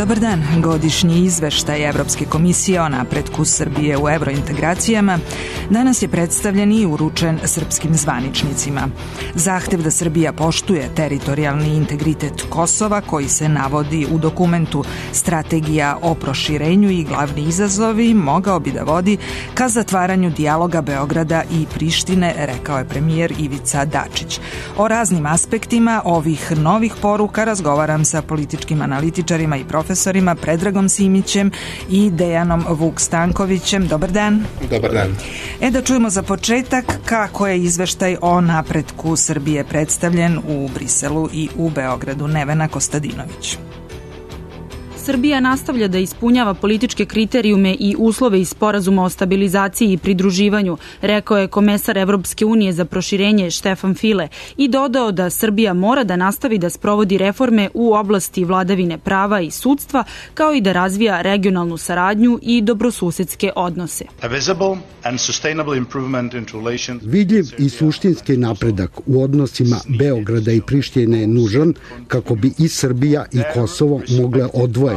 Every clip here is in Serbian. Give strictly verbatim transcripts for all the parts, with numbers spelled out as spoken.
Dobar dan. Godišnji izveštaj Evropske komisije o napretku Srbije u evrointegracijama danas je predstavljen i uručen srpskim zvaničnicima. Zahtev da Srbija poštuje teritorijalni integritet Kosova, koji se navodi u dokumentu Strategija o proširenju i glavni izazovi, mogao bi da vodi ka zatvaranju dijaloga Beograda i Prištine, rekao je premijer Ivica Dačić. O raznim aspektima ovih novih poruka razgovaram sa političkim analitičarima i profesorima Predragom Simićem i Dejanom Vuk-Stankovićem. Dobar dan. Dobar dan. E da čujemo za početak kako je izveštaj o napretku Srbije predstavljen u Briselu i u Beogradu. Nevena Kostadinović. Srbija nastavlja da ispunjava političke kriterijume i uslove iz sporazuma o stabilizaciji i pridruživanju, rekao je komesar Evropske unije za proširenje Štefan File i dodao da Srbija mora da nastavi da sprovodi reforme u oblasti vladavine prava i sudstva, kao i da razvija regionalnu saradnju i dobrosusedske odnose. Vidljiv i suštinski napredak u odnosima Beograda i Prištine je nužan kako bi i Srbija i Kosovo mogle odvojeno,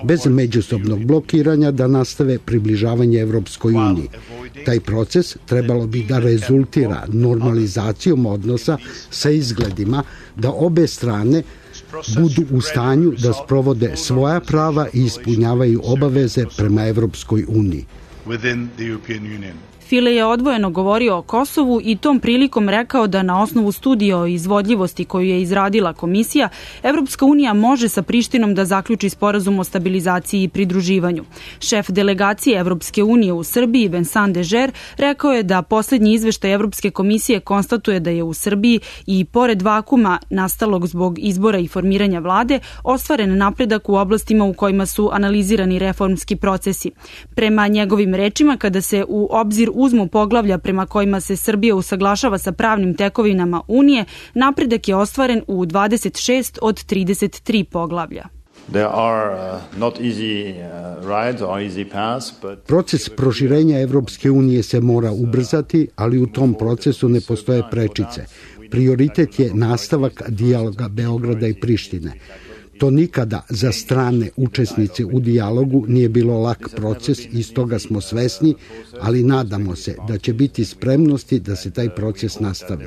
bez međusobnog blokiranja, da nastave približavanje Evropskoj uniji. Taj proces trebalo bi da rezultira normalizacijom odnosa sa izgledima da obe strane budu u stanju da sprovode svoja prava i ispunjavaju obaveze prema Evropskoj uniji. File je odvojeno govorio o Kosovu i tom prilikom rekao da na osnovu studije o izvodljivosti koju je izradila komisija, Evropska unija može sa Prištinom da zaključi sporazum o stabilizaciji i pridruživanju. Šef delegacije Evropske unije u Srbiji, Vincent Dežer, rekao je da poslednji izveštaj Evropske komisije konstatuje da je u Srbiji i pored vakuma nastalog zbog izbora i formiranja vlade ostvaren napredak u oblastima u kojima su analizirani reformski procesi. Prema njegovim rečima, kada se u obzir uzmu poglavlja prema kojima se Srbija usaglašava sa pravnim tekovinama Unije, napredak je ostvaren u dvadeset šest od trideset tri poglavlja. Proces proširenja Evropske unije se mora ubrzati, ali u tom procesu ne postoje prečice. Prioritet je nastavak dijaloga Beograda i Prištine. To nikada za strane učesnice u dijalogu nije bilo lak proces i stoga smo svesni, ali nadamo se da će biti spremnosti da se taj proces nastavi.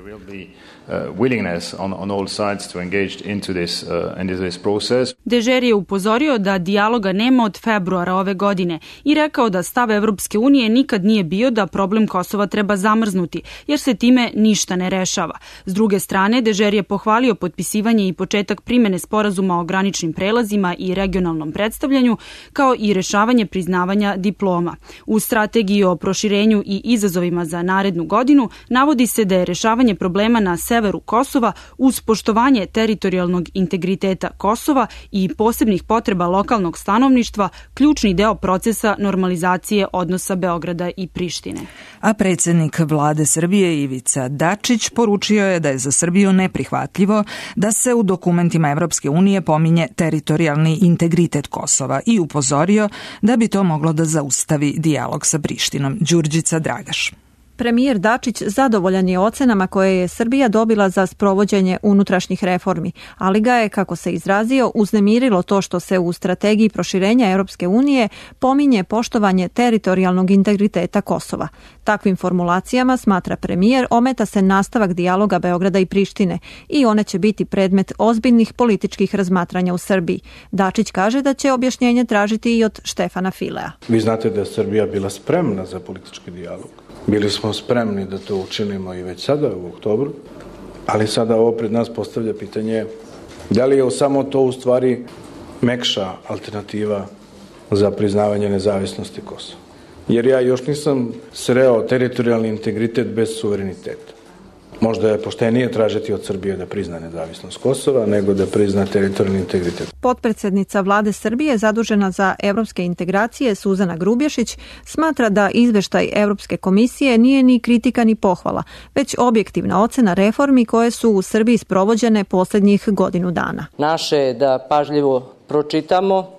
Dežer je upozorio da dijaloga nema od februara ove godine i rekao da stav Evropske unije nikad nije bio da problem Kosova treba zamrznuti, jer se time ništa ne rešava. S druge strane, Dežer je pohvalio potpisivanje i početak primene sporazuma o graničnim prelazima i regionalnom predstavljanju, kao i rešavanje priznavanja diploma. U strategiji o proširenju i izazovima za narednu godinu navodi se da je rešavanje problema na severu Kosova uz poštovanje teritorijalnog integriteta Kosova i posebnih potreba lokalnog stanovništva ključni deo procesa normalizacije odnosa Beograda i Prištine. A predsjednik vlade Srbije Ivica Dačić poručio je da je za Srbiju neprihvatljivo da se u dokumentima Evropske unije pominje teritorijalni integritet Kosova i upozorio da bi to moglo da zaustavi dijalog sa Prištinom. Đurđica Dragaš. Premijer Dačić zadovoljan je ocenama koje je Srbija dobila za sprovođenje unutrašnjih reformi, ali ga je, kako se izrazio, uznemirilo to što se u strategiji proširenja Europske unije pominje poštovanje teritorijalnog integriteta Kosova. Takvim formulacijama, smatra premijer, ometa se nastavak dijaloga Beograda i Prištine i one će biti predmet ozbiljnih političkih razmatranja u Srbiji. Dačić kaže da će objašnjenje tražiti i od Štefana Filea. Vi znate da je Srbija bila spremna za politički dijalog. Bili smo spremni da to učinimo i već sada u oktobru, ali sada ovo pred nas postavlja pitanje da li je samo to u stvari mekša alternativa za priznavanje nezavisnosti Kosova. Jer ja još nisam sreo teritorijalni integritet bez suvereniteta. Možda je poštenije tražiti od Srbije da prizna nezavisnost Kosova nego da prizna teritorijalni integritet. Potpredsednica vlade Srbije zadužena za evropske integracije Suzana Grubješić smatra da izveštaj Evropske komisije nije ni kritika ni pohvala, već objektivna ocena reformi koje su u Srbiji sprovođene poslednjih godinu dana. Naše je da pažljivo pročitamo,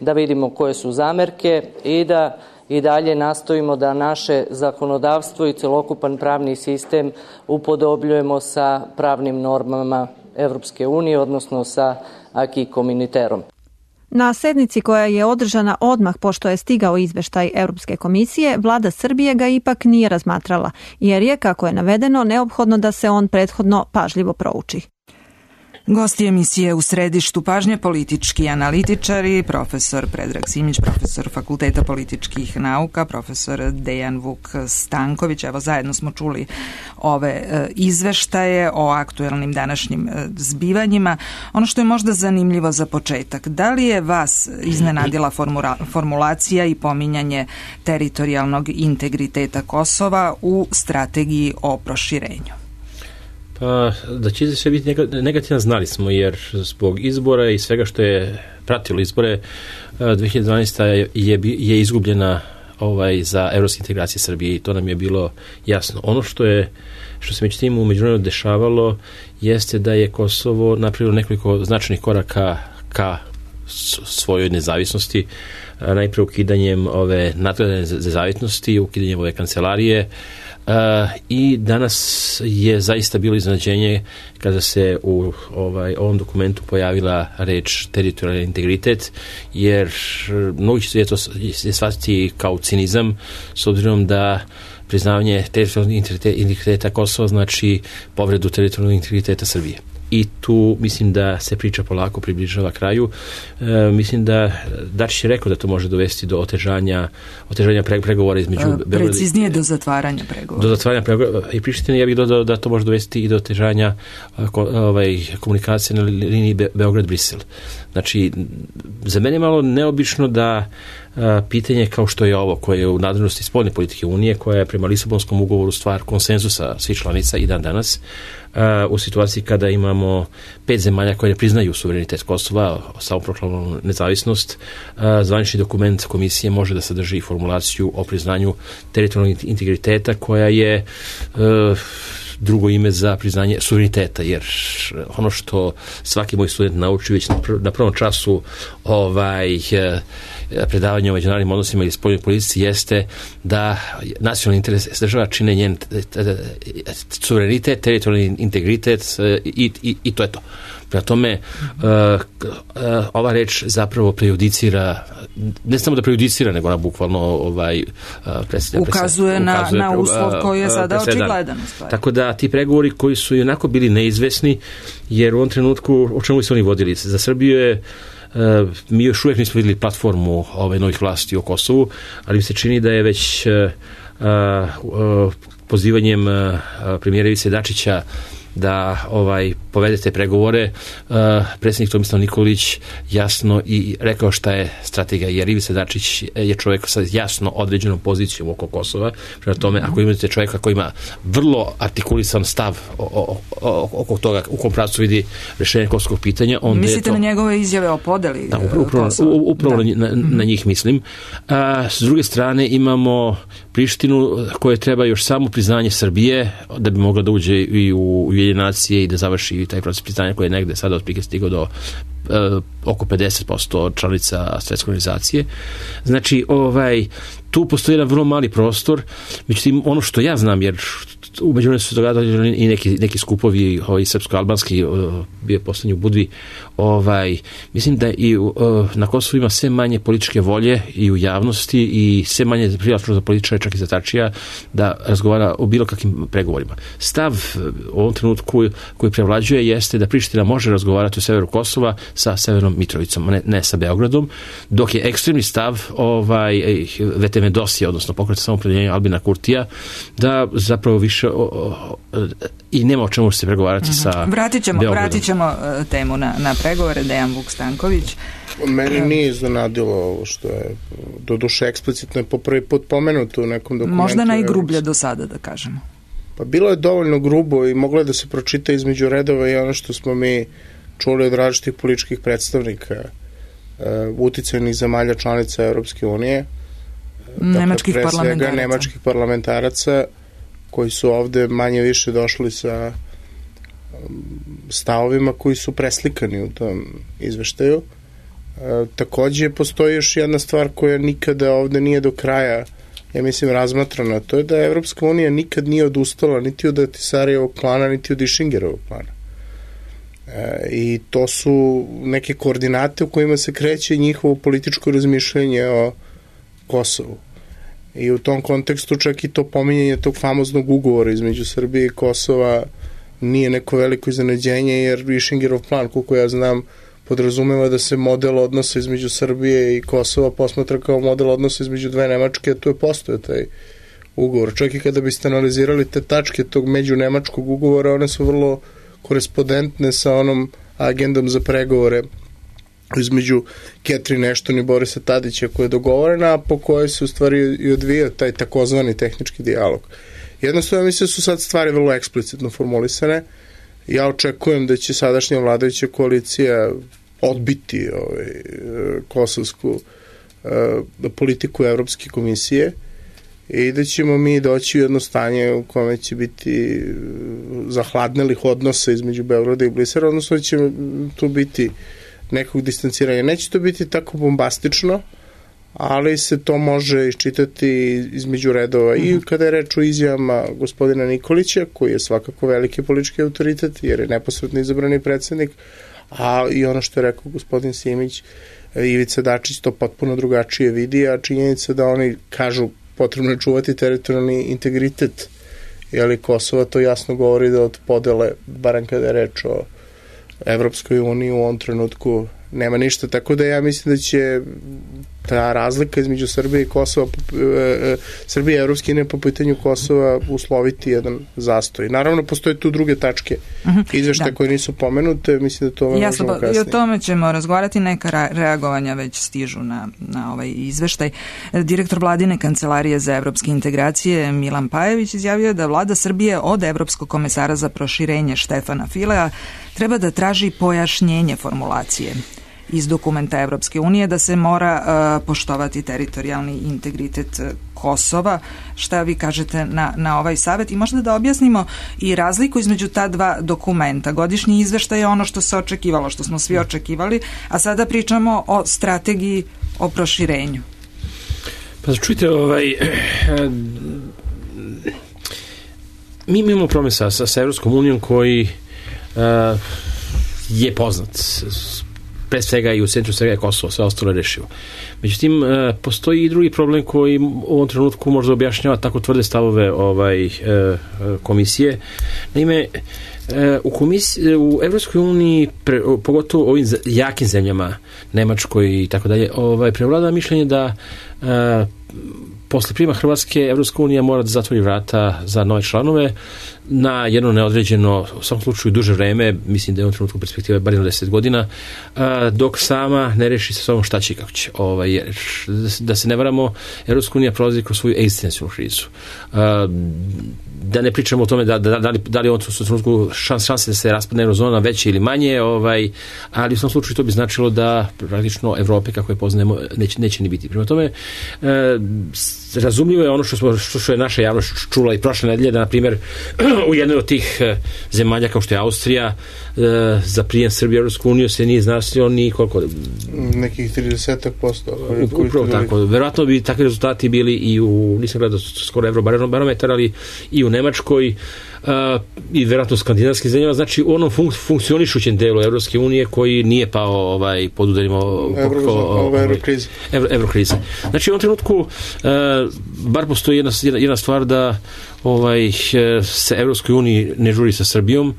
da vidimo koje su zamerke i da i dalje nastojimo da naše zakonodavstvo i celokupan pravni sistem upodobljujemo sa pravnim normama Evropske unije, odnosno sa acquis communautaireom. Na sednici koja je održana odmah pošto je stigao izveštaj Europske komisije, vlada Srbije ga ipak nije razmatrala, jer je, kako je navedeno, neophodno da se on prethodno pažljivo prouči. Gosti emisije U središtu pažnje politički analitičari, profesor Predrag Simić, profesor Fakulteta političkih nauka, profesor Dejan Vuk Stanković. Evo, zajedno smo čuli ove e, izveštaje o aktuelnim današnjim e, zbivanjima. Ono što je možda zanimljivo za početak, da li je vas iznenadila formula, formulacija i pominjanje teritorijalnog integriteta Kosova u strategiji o proširenju? Pa, da će sve biti negativno znali smo, jer zbog izbora i svega što je pratilo izbore, dve hiljade dvanaeste. je, je izgubljena ovaj, za evropske integracije Srbije i to nam je bilo jasno. Ono što je što se međutim u međunarodno dešavalo jeste da je Kosovo napravilo nekoliko značajnih koraka ka svojoj nezavisnosti, najprije ukidanjem ove nadgledane nezavisnosti, ukidanjem ove kancelarije, Uh, i danas je zaista bilo iznenađenje kada se u ovaj, ovom dokumentu pojavila reč teritorijalni integritet, jer mnogi će to shvatiti kao cinizam, s obzirom da priznavanje teritorijalnog integriteta Kosova znači povredu teritorijalnog integriteta Srbije. I tu mislim da se priča polako približava kraju. E, mislim da Dačić je rekao da to može dovesti do otežanja, otežanja pregovora između e, preciznije do zatvaranja pregovora. Do zatvaranja pregovora. I Priština, ja bih dodao da to može dovesti i do otežanja ovaj, komunikacije na liniji Be- Beograd-Brisel. Znači, za mene je malo neobično da a, pitanje kao što je ovo, koje je u nadležnosti spoljne politike Unije, koja je prema Lisabonskom ugovoru stvar konsenzusa svih članica i dan danas, a, u situaciji kada imamo pet zemalja koje ne priznaju suverenitet Kosova, samoproklamnu nezavisnost, a, zvanični dokument komisije može da sadrži formulaciju o priznanju teritorijalnog integriteta, koja je a, drugo ime za priznanje suvereniteta, jer ono što svaki moj student nauči već na prvom času ovaj, predavanja o međunarodnim odnosima ili spoljnoj politici jeste da nacionalni interes država čine njen suverenitet, teritorijalni integritet i, i, i to je to. Prema tome, uh, uh, ova reč zapravo prejudicira, ne samo da prejudicira, nego ona bukvalno ovaj, uh, predstavlja, ukazuje, na, ukazuje na uslov koji je sada očigledan. Tako da ti pregovori koji su i onako bili neizvesni, jer u ovom trenutku, o čemu su oni vodili? Za Srbiju je Uh, mi još uvijek nismo vidjeli platformu ove novih vlasti o Kosovu, ali mi se čini da je već uh, uh, pozivanjem uh, premijera Ivice Dačića da ovaj povede te pregovore, uh, predsjednik Tomislav Nikolić jasno i rekao šta je strategija, jer Ivica Dačić je čovjek sa jasno određenom pozicijom oko Kosova. Prema tome, ako imate čovjeka koji ima vrlo artikulisan stav oko toga u kom pravcu vidi rješenje kosovskog pitanja, onda mislite to, na njegove izjave o podeli da, upravo, Kosova? Upravo da. na, na njih mislim. A, s druge strane imamo Prištinu koja treba još samo priznanje Srbije da bi mogla da uđe i u Ujedinjene nacije i da završi taj proces priznanja koji je negde sada otprilike stigao do uh, oko pedeset posto članica Svetske organizacije. Znači, ovaj, tu postoji jedan vrlo mali prostor, međutim, ono što ja znam, jer u međuvremenu su se događali i neki, neki skupovi ovaj, srpsko-albanski, bio je poslednji u Budvi, ovaj, mislim da i uh, na Kosovu ima sve manje političke volje i u javnosti i sve manje prijatno za političare, čak i za Tačija, da razgovara o bilo kakvim pregovorima. Stav u ovom trenutku koji prevlađuje jeste da Priština može razgovarati o severu Kosova sa Severnom Mitrovicom, ne, ne sa Beogradom, dok je ekstremni stav ovaj, V T M Dosije, odnosno pokreta samoopredeljenja Albina Kurtija, da zapravo više o, o, o, i nema o čemu se pregovarati uh-huh. sa vratit ćemo, Beogradom. Vratit ćemo uh, temu na, na pregovore. Dejan Vuk Stanković. Meni nije iznenadilo ovo što je do duše eksplicitno je po prvi put pomenuto u nekom dokumentu. Možda najgrublje do sada, da kažemo. Pa bilo je dovoljno grubo i moglo je da se pročita između redova i ono što smo mi čuli od različitih političkih predstavnika uh, uticajnih zemalja članica Evropske unije. Nemačkih dakle, parlamentaraca. Nemačkih parlamentaraca koji su ovde manje više došli sa stavovima koji su preslikani u tom izveštaju. E, takođe postoji još jedna stvar koja nikada ovde nije do kraja, ja mislim, razmatrana. To je da Evropska unija nikad nije odustala niti od Ahtisarijevog plana, niti od Išingerovog plana. I to su neke koordinate u kojima se kreće njihovo političko razmišljanje o Kosovu. I u tom kontekstu čak i to pominjanje tog famoznog ugovora između Srbije i Kosova nije neko veliko iznenađenje, jer Višingerov plan, koliko ja znam, podrazumeva da se model odnosa između Srbije i Kosova posmatra kao model odnosa između dve Nemačke, a tu je postoje taj ugovor. Čak i kada biste analizirali te tačke tog međunemačkog ugovora, one su vrlo korespondentne sa onom agendom za pregovore između Catherine Ashton i Borisa Tadića koja je dogovorena, a po kojoj se u stvari i odvija taj takozvani tehnički dijalog. Jednostavno, mislim da su sad stvari vrlo eksplicitno formulisane. Ja očekujem da će sadašnja vladajuća koalicija odbiti ovaj, kosovsku uh, politiku Evropske komisije i da ćemo mi doći u jedno stanje u kome će biti zahladnelih odnosa između Beograda i Brisela, odnosno da će tu biti nekog distanciranja. Neće to biti tako bombastično, ali se to može iščitati između redova. I kada je reč o izjavama gospodina Nikolića, koji je svakako veliki politički autoritet, jer je neposredno izabrani predsednik, a i ono što je rekao gospodin Simić, Ivica Dačić to potpuno drugačije vidi, a činjenica da oni kažu potrebno je čuvati teritorijalni integritet, jeli Kosova, to jasno govori da od podele, barem kada je reč o Evropskoj uniji, u ovom trenutku nema ništa, tako da ja mislim da će ta razlika između Srbije i Kosova, Srbije i Evropske unije po pitanju Kosova usloviti jedan zastoj. Naravno, postoje tu druge tačke izveštaja koje nisu pomenute, mislim da to možemo Jasno, kasnije. I o tome ćemo razgovarati, neka reagovanja već stižu na, na ovaj izveštaj. Direktor Vladine kancelarije za evropske integracije Milan Pajević izjavio da vlada Srbije od Evropskog komesara za proširenje Štefana Filea treba da traži pojašnjenje formulacije iz dokumenta Evropske unije da se mora uh, poštovati teritorijalni integritet Kosova. Šta vi kažete na, na ovaj savet? I možda da objasnimo i razliku između ta dva dokumenta. Godišnji izveštaj je ono što se očekivalo, što smo svi očekivali, a sada pričamo o strategiji o proširenju. Pa čujte, ovaj, mi imamo problem sa, sa Evropskom unijom koji uh, je poznat pre svega i u centru svega je Kosovo, sve ostalo je rešivo. Međutim, e, postoji i drugi problem koji u ovom trenutku možda objašnjava tako tvrde stavove ovaj, e, komisije. Naime, e, u, komisiji, u Evropskoj uniji, pre, pogotovo ovim jakim zemljama, Nemačkoj i tako dalje, ovaj, prevlada mišljenje da e, posle prima Hrvatske Evropska unija mora da zatvori vrata za nove članove na jedno neodređeno, u svakom slučaju duže vreme, mislim da je u trenutku perspektive bar jedno deset godina, dok sama ne reši sa sobom šta će i kako će. Ovaj, jer, da se ne varamo, Evropska unija prolazi kroz svoju egzistencijalnu krizu. Da ne pričamo o tome da, da, da li, da li on u trenutku šans, šanse da se raspadne eurozona veće ili manje, ovaj, ali u svom slučaju to bi značilo da praktično Evrope kako je poznajemo neće, neće ni biti. Prema tome, e, razumljivo je ono što, smo, što, što je naša javnost čula i prošle nedelje, da na primjer u jednoj od tih e, zemalja kao što je Austrija e, za prijem Srbije u Evropsku uniju se nije značilo ni koliko... Nekih trideset posto. Upravo tako. Verovatno bi takvi rezultati bili i u, nisam gledao skoro Eurobarometar, ali i u Nemačkoj uh, i verovatno u skandinavskim zemljama, znači u onom funk, funkcionišućem delu Evropske unije koji nije pao ovaj, pod udarima Evrokrize. Evro, Evrokrize. Znači u ovom trenutku uh, bar postoji jedna, jedna stvar da ovaj, se Evropskoj uniji ne žuri sa Srbijom,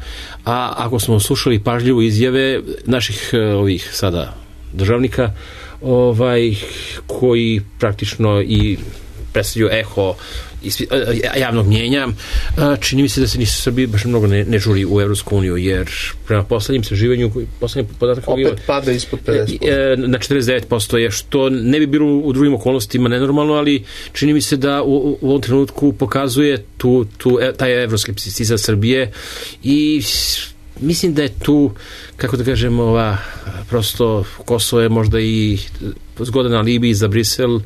a ako smo slušali pažljivo izjave naših ovih sada državnika ovaj, koji praktično i predstavljaju eho javnog mnjenja, čini mi se da se ni Srbiji baš mnogo ne, ne žuri u Evropsku uniju, jer prema poslednjim istraživanju poslednji podatak opet bio, pada ispod pedeset posto na četrdeset devet posto je, što ne bi bilo u drugim okolnostima nenormalno, ali čini mi se da u, u ovom trenutku pokazuje tu, tu, taj evropski skepticizam Srbije i mislim da je tu, kako da kažem, ova, prosto Kosovo je možda i zgodan alibi za Brisel,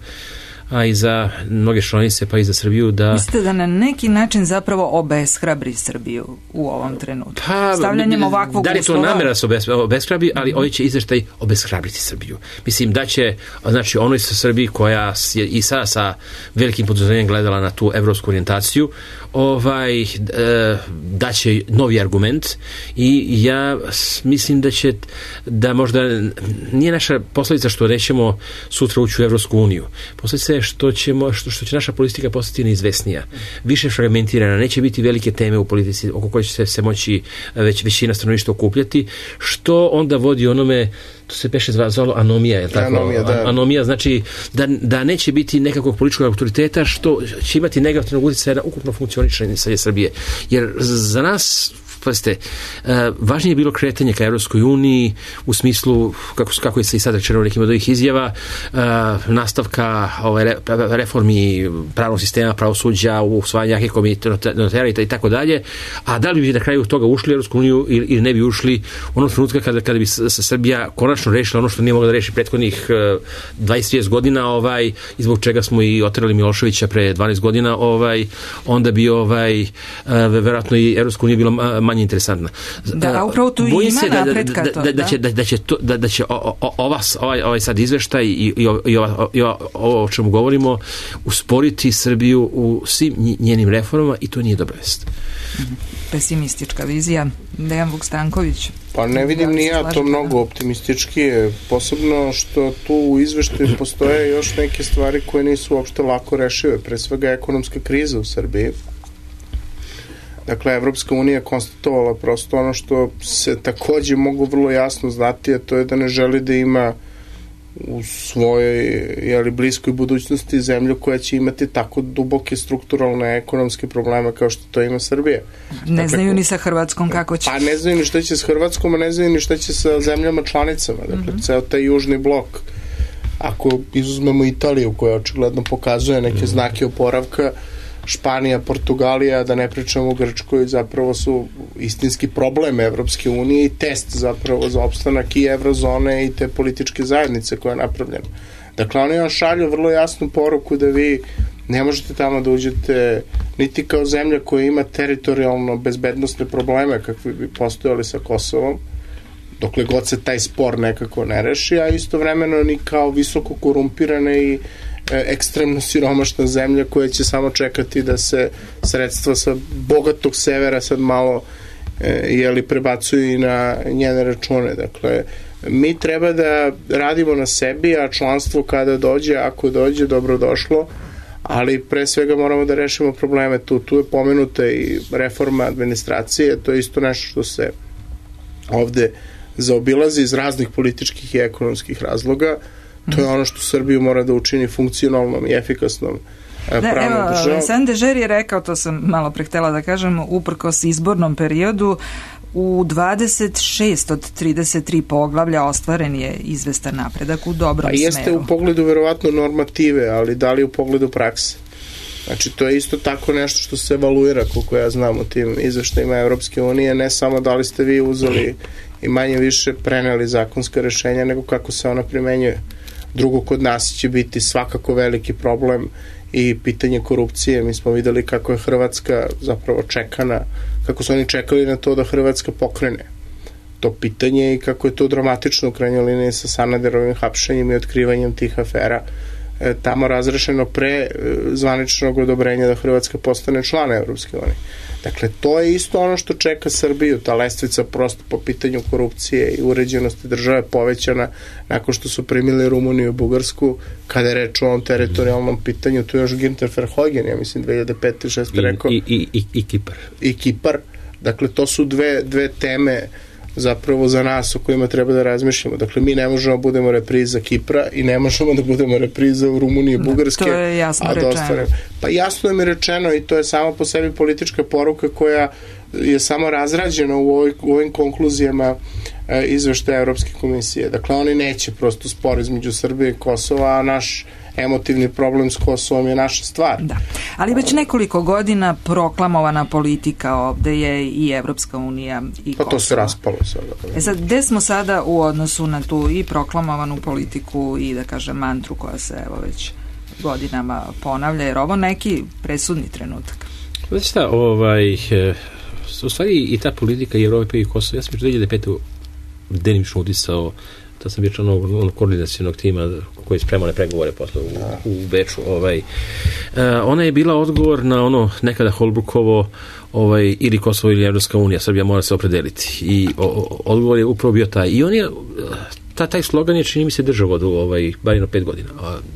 a i za mnoge članice, pa i za Srbiju da... Mislite da na neki način zapravo obeshrabri Srbiju u ovom trenutku? Pa, stavljanjem ovakvog da li je to uslova... namera da se obes, obeshrabri, ali mm-hmm. ovaj će izveštaj obeshrabriti Srbiju. Mislim da će, znači onoj sa Srbiji koja je i sada sa velikim poduzerenjem gledala na tu evropsku orijentaciju, ovaj, e, da će novi argument i ja mislim da će, da možda nije naša posljedica što nećemo sutra ući u Evropsku uniju. Posljedica je što, ćemo, što, što će naša politika postati neizvesnija, više fragmentirana, neće biti velike teme u politici oko koje će se, se moći već, većina stanovništva okupljati, što onda vodi onome, to se peše zvalo anomija, je tako? Anomija, da. Anomija znači da, da neće biti nekakvog političkog autoriteta što će imati negativnog utjecaja na ukupno funkcionisanje Srbije. Jer za nas, pazite, važnije je bilo kretanje ka Evropskoj uniji u smislu, kako, kako je se i sad rečeno nekim od ovih izjava, nastavka ove reformi pravnog sistema, pravosuđa, usvajanja jakih komitera i tako dalje, a da li bi na kraju toga ušli u Evropsku uniju ili, ili ne bi ušli onog trenutka kada, kada bi se Srbija konačno rešila ono što nije mogla da reši prethodnih dvadeset do trideset godina, ovaj, i zbog čega smo i oterali Miloševića pre dvanaest godina, ovaj, onda bi ovaj, verovatno i Evropska unija bila manje interesantna. Da, a upravo tu Bojim ima se da, napretka da, to. Da, da, će, da, da će, to, da, da će o, o, ova, ovaj, ovaj sad izveštaj i, i, i, ova, i ova, ovo o čemu govorimo usporiti Srbiju u svim njenim reformama i to nije dobra vest. Pesimistička vizija. Dejan Vuk-Stanković. Pa ne vidim ni ja to mnogo optimistički je, posebno što tu u izveštaju postoje još neke stvari koje nisu uopšte lako rešive, pre svega ekonomska kriza u Srbiji. Dakle, Evropska unija je konstatovala prosto ono što se takođe mogu vrlo jasno znati, a to je da ne želi da ima u svojoj jeli, bliskoj budućnosti zemlju koja će imati tako duboke strukturalne ekonomske probleme kao što to ima Srbija. Ne dakle, znaju ni sa Hrvatskom kako će. Pa ne znaju ni šta će s Hrvatskom, a ne znaju ni šta će sa zemljama članicama. Dakle, mm-hmm. ceo taj južni blok. Ako izuzmemo Italiju koja očigledno pokazuje neke mm-hmm. znake oporavka, Španija, Portugalija, da ne pričamo o Grčkoj, zapravo su istinski problem Evropske unije i test zapravo za opstanak i evrozone i te političke zajednice koja je napravljena. Dakle, oni vam šalju vrlo jasnu poruku da vi ne možete tamo da uđete niti kao zemlja koja ima teritorijalno bezbednostne probleme kakvi bi postojali sa Kosovom, dokle god se taj spor nekako ne reši, a istovremeno ni kao visoko korumpirane i ekstremno siromašna zemlja koja će samo čekati da se sredstva sa bogatog severa sad malo e, jeli, prebacuju i na njene račune. Dakle, mi treba da radimo na sebi, a članstvo kada dođe, ako dođe, dobrodošlo, ali pre svega moramo da rešimo probleme tu. Tu je pomenuta i reforma administracije, to je isto nešto što se ovde zaobilazi iz raznih političkih i ekonomskih razloga. To je ono što Srbiju mora da učini funkcionalnom i efikasnom pravnom državom. San Dežer je rekao, to sam malo pre htela da kažem, uprkos izbornom periodu, u dvadeset šest od trideset tri poglavlja ostvaren je izvestan napredak u dobrom smeru. Pa jeste smeru. U pogledu verovatno normative, ali da li u pogledu prakse? Znači, to je isto tako nešto što se evaluira, koliko ja znam, u tim izveštajima Evropske unije, ne samo da li ste vi uzeli i manje više preneli zakonska rešenja, nego kako se ona primenjuje. Drugo, kod nas će biti svakako veliki problem i pitanje korupcije. Mi smo videli kako je Hrvatska zapravo čekana, kako su oni čekali na to da Hrvatska pokrene to pitanje i kako je to dramatično u krajnjoj liniji sa Sanaderovim hapšenjem i otkrivanjem tih afera e, tamo razrešeno pre e, zvaničnog odobrenja da Hrvatska postane član Evropske unije. Dakle, to je isto ono što čeka Srbiju, ta lestvica prosto po pitanju korupcije i uređenosti države povećana nakon što su primili Rumuniju i Bugarsku, kada je reč o ovom teritorijalnom pitanju, tu je još Günther Verheugen, ja mislim dve hiljade pete šeste rekao. I, i, i, i Kipar. I Kipar. Dakle, to su dve, dve teme zapravo za nas o kojima treba da razmišljamo. Dakle, mi ne možemo da budemo repriza Kipra i ne možemo da budemo repriza u Rumuniji i Bugarske. To je jasno rečeno. Pa jasno je mi rečeno i to je samo po sebi politička poruka koja je samo razrađena u, ovoj, u ovim konkluzijama e, izveštaja Evropske komisije. Dakle, oni neće prosto spor između Srbije i Kosova, a naš emotivni problem s Kosovom je naša stvar. Da, ali već nekoliko godina proklamovana politika ovde je i Evropska unija i Kosovo. Pa to se raspalo sada. E sad, gde smo sada u odnosu na tu i proklamovanu politiku i, da kažem, mantru koja se evo već godinama ponavlja, jer ovo neki presudni trenutak. Znači šta, ovaj, u stvari i ta politika i Evrope i Kosova, ja sam dve hiljade pete delimično udisao, da sam bio član onog koordinacionog tima koji je spremao ne pregovore posle u, u Beču. Ovaj. Uh, ona je bila odgovor na ono nekada Holbrookovo ovaj, ili Kosovo ili Evropska unija, Srbija mora se opredeliti. I o, o, odgovor je upravo bio taj. I on je, ta, taj slogan je, čini mi se, držao vodu, ovaj, bar jedno pet godina.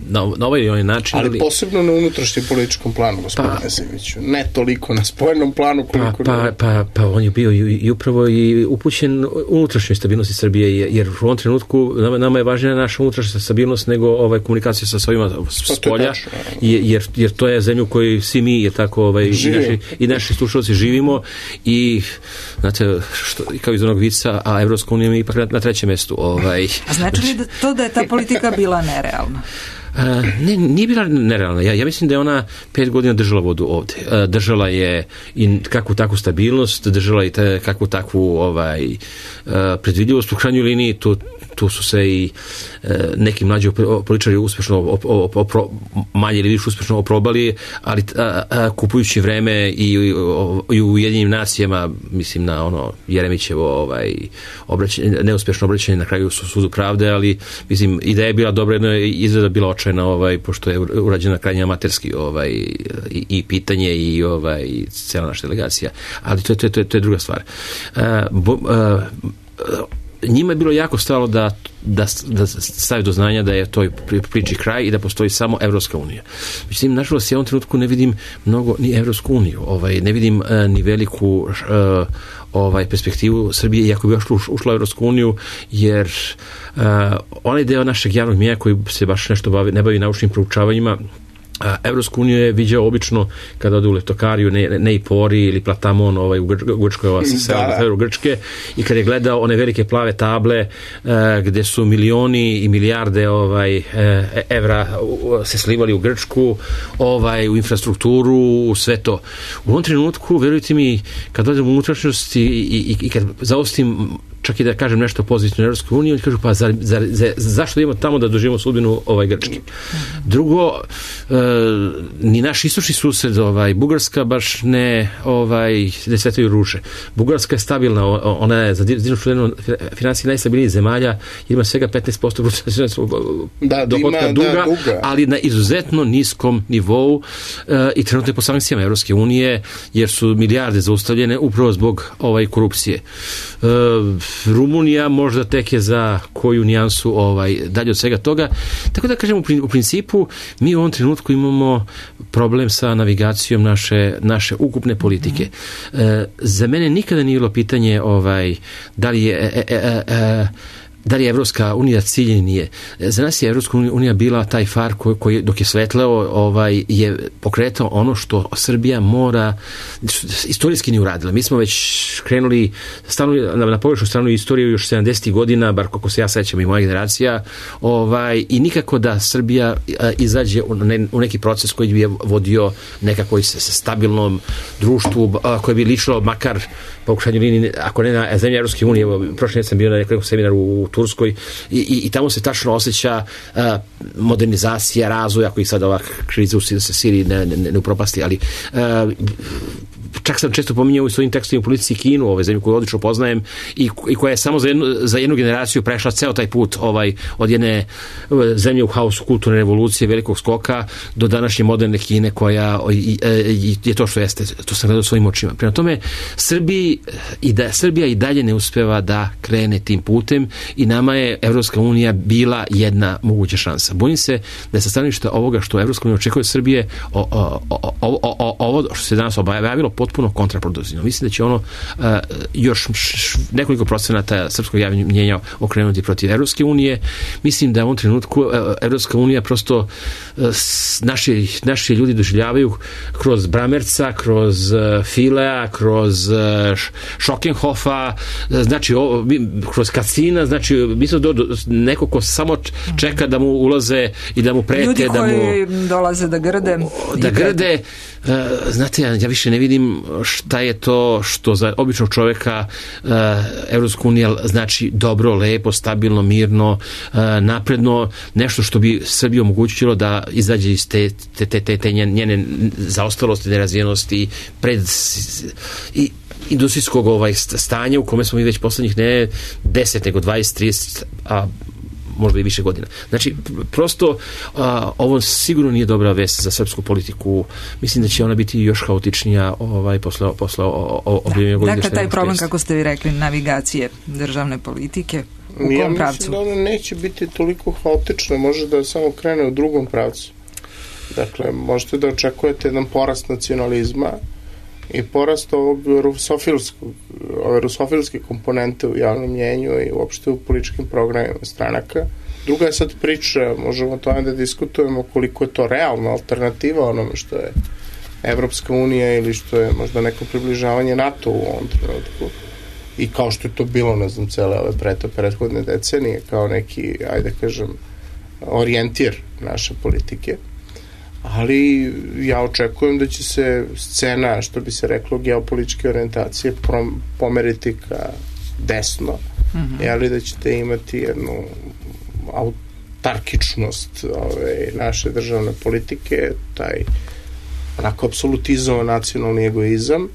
Na, na ovaj ili onaj način. Ali, ali posebno na unutrašnjem političkom planu, gospodine pa, Simiću. Ne toliko na spoljnom planu koliko... Pa, pa, pa, pa on je bio i, i upravo i upućen unutrašnjoj stabilnosti Srbije, jer u ovom trenutku nama, nama je važnija naša unutrašnja stabilnost nego ovaj, komunikacija sa svojima s polja, jer, jer to je zemlju koju svi mi je tako ovaj, i naši, i naši slušalci živimo i znate, što, kao iz onog vica, a Evropska unija je ipak na, na trećem mestu. Ovaj. A znači li da, to da je ta politika bila nerealna? Uh, ne, nije bila nerealna. Ja, ja mislim da je ona pet godina držala vodu ovde. Uh, držala je i kakvu takvu stabilnost, držala i te, kakvu takvu ovaj, uh, predvidljivost. U krajnjoj liniji tu, tu su se i uh, neki mlađi političari uspešno op, op, op, op, manje ili više uspešno oprobali, ali uh, uh, kupujući vreme i, i, i u Ujedinjenim nacijama, mislim na ono Jeremićevo ovaj, obraćanje, neuspešno obraćanje na kraju su sudu pravde, ali mislim ideja je bila dobra, jedno je izgleda bila očajna, ovaj, pošto je urađena krajnje amaterski ovaj, i, i pitanje i ovaj, i cela naša delegacija. Ali to je, to je, to je, to je druga stvar. Uh, bo, uh, njima je bilo jako stalo da, da, da stavi do znanja da je toj priči kraj i da postoji samo Evropska unija. Međutim, nažalost, ja u ovom trenutku ne vidim mnogo ni Evropsku uniju, ovaj, ne vidim uh, ni veliku uh, ovaj, perspektivu Srbije, iako bi ušla, ušla u Evropsku uniju, jer uh, onaj deo našeg javnog mjenja koji se baš nešto bavi, ne bavi naučnim proučavanjima, Evropsku uniju je viđao obično kada ode u Leftokariju, ne, ne i Pori ili Platamon ovaj, u Grčkoj, ova sela na severu Grčke, i kad je gledao one velike plave table uh, gde su milioni i milijarde ovaj, uh, evra se slivali u Grčku, ovaj, u infrastrukturu, u sve to. U ovom trenutku, verujte mi, kad dođem u unutrašnjost i, i, i kad zaostim čak i da kažem nešto pozitivno u Evropskoj uniji, oni kažu, pa za, za, za, zašto idemo tamo da doživimo sudbinu ovaj, Grčke? Drugo, e, ni naš istočni sused, ovaj, Bugarska, baš ne, ovaj, ne svetaju ruše. Bugarska je stabilna, ona je za divnu finansije najstabilnijih zemalja, ima svega petnaest posto da, dohodka ima, duga, da, duga, ali na izuzetno niskom nivou e, i trenutno je po sankcijama Evropske unije, jer su milijarde zaustavljene upravo zbog ovaj, korupcije. E, Rumunija možda tek je za koju nijansu ovaj, dalje od svega toga. Tako da kažem, u principu mi u ovom trenutku imamo problem sa navigacijom naše, naše ukupne politike. E, za mene nikada nije bilo pitanje ovaj, da li je e, e, e, e, da li je Evropska unija cilj ili nije. Za nas je Evropska unija bila taj far koji, koji dok je svetleo ovaj, je pokretao ono što Srbija mora istorijski ni uradila. Mi smo već krenuli stanu, na, na pogrešnu stranu istoriju još sedamdesetih godina, bar kako se ja sećam i moja generacija, ovaj, i nikako da Srbija a, izađe u, ne, u neki proces koji bi je vodio nekako stabilnom društvu, a, koje bi ličilo makar po krajnjoj liniji, ako ne na zemlji Evropske unije. Prošle sam bio na nekom seminaru u Turskoj i, i, i tamo se tačno osjeća uh, modernizacija, razvoj, ako i sad ova kriza u Siriji ne, ne, ne upropasti, ali uh, čak sam često pominjao u svojim tekstovima u politici Kinu, ove zemlje koju odlično poznajem i, i koja je samo za jednu, za jednu generaciju prešla ceo taj put ovaj, od jedne zemlje u haosu kulturne revolucije, velikog skoka do današnje moderne Kine koja i, i, je to što jeste, to sam gledao svojim očima. Prema tome, Srbiji, i da, Srbija i dalje ne uspeva da krene tim putem i nama je Evropska unija bila jedna moguća šansa. Bojim se da je sa stanovišta ovoga što Evropska unija očekuje od Srbije, o, o, o, o, o, ovo što se danas objavilo potpuno kontraproduktivno. Mislim da će ono uh, još š, nekoliko procenata srpskog javnog mnjenja okrenuti protiv Evropske unije. Mislim da u ovom trenutku uh, Evropska unija prosto uh, naši, naši ljudi doživljavaju kroz Bramerca, kroz uh, Filea, kroz uh, Šokenhofa, uh, znači o, kroz Kacina, znači mislim da do, neko ko samo čeka da mu ulaze i da mu prete, ljudi da mu koji dolaze da grde da grde. Uh, znate, ja, ja više ne vidim kažem šta je to što za običnog čoveka uh, Evropska unija znači dobro, lepo, stabilno, mirno, uh, napredno, nešto što bi Srbiji omogućilo da izađe iz te, te, te, te, te njene zaostalosti, nerazvijenosti, pred i industrijskog ovaj stanja u kome smo mi već poslednjih ne deset nego dvadeset trideset a možda i više godina. Znači, prosto a, ovo sigurno nije dobra vest za srpsku politiku. Mislim da će ona biti još haotičnija ovaj, posle, posle objavljanja. Da. Dakle, taj problem, kako ste vi rekli, navigacije državne politike, u kom ja pravcu? Mislim da ona neće biti toliko haotična, može da samo krene u drugom pravcu. Dakle, možete da očekujete jedan porast nacionalizma i porast ovog rusofilskog, ove rusofilske komponente u javnom mnjenju i uopšte u političkim programima stranaka. Druga je sad priča, možemo o tome da diskutujemo koliko je to realna alternativa onome što je Evropska unija ili što je možda neko približavanje NATO u ovom trenutku. I kao što je to bilo, ne znam, cele ove preto prethodne decenije, kao neki, ajde kažem, orijentir naše politike. Ali ja očekujem da će se scena, što bi se reklo, geopolitičke orijentacije pomeriti ka desno, mm-hmm. ali da ćete imati jednu autarkičnost ove, naše državne politike, taj onako apsolutizovan nacionalni egoizam,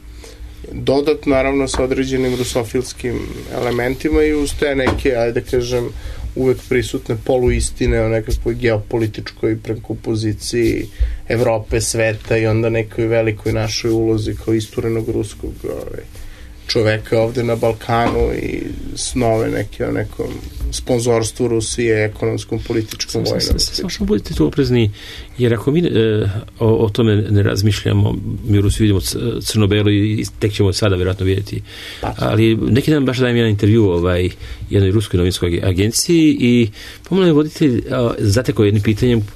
dodat naravno sa određenim rusofilskim elementima i uz te neke, ajde kažem, uvek prisutne poluistine o nekakvoj geopolitičkoj prekompoziciji Evrope, sveta i onda nekoj velikoj našoj ulozi kao isturenog ruskog ovaj, čoveka ovde na Balkanu i snove neke o nekom sponzorstvu Rusije, ekonomskom, političkom, vojnom. Samo što budete tu oprezni, jer ako mi e, o, o tome ne razmišljamo, mi u Rusiji vidimo crno-belo i tek ćemo sada vjerojatno vidjeti. Pa. Ali neki dan baš dajem jedan intervju ovaj, jednoj ruskoj novinskoj agenciji i pomalo je voditelj zatekao jednim pitanjem,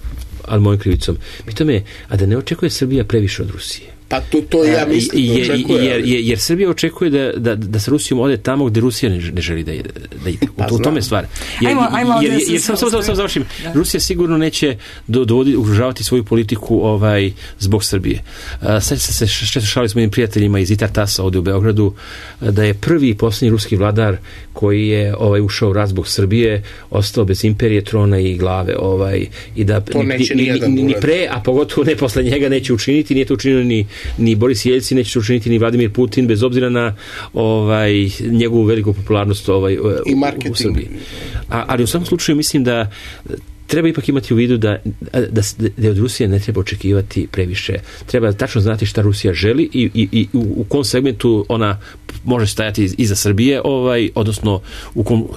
ali mojim krivicom. Pitao me, a da ne očekuje Srbija previše od Rusije? Pa to, to ja mislim da očekuje. Jer, jer, jer Srbija očekuje da, da, da sa Rusijom ode tamo gde Rusija ne, ne želi da ide. Da ide. Pa, u tome stvar. Jer, ajmo, ajmo jer, jer, jer sam samo sam završim. Da. Rusija sigurno neće dovoditi, ugrožavati svoju politiku ovaj, zbog Srbije. Sad se se često šalili s mojim prijateljima iz Itar Tasa ovde u Beogradu da je prvi i posljednji ruski vladar koji je ovaj ušao u rat zbog Srbije, ostao bez imperije, trona i glave. Ovaj, i da ni, ni, ni, ni pre, a pogotovo ne posle njega neće učiniti, nije to učinio ni ni Boris Jelcin, neće učiniti ni Vladimir Putin, bez obzira na ovaj, njegovu veliku popularnost ovaj, u, u Srbiji. A, ali u svakom slučaju mislim da treba ipak imati u vidu da, da, da od Rusije ne treba očekivati previše. Treba tačno znati šta Rusija želi i, i, i u, u kom segmentu ona može stajati iza Srbije, ovaj, odnosno u kom...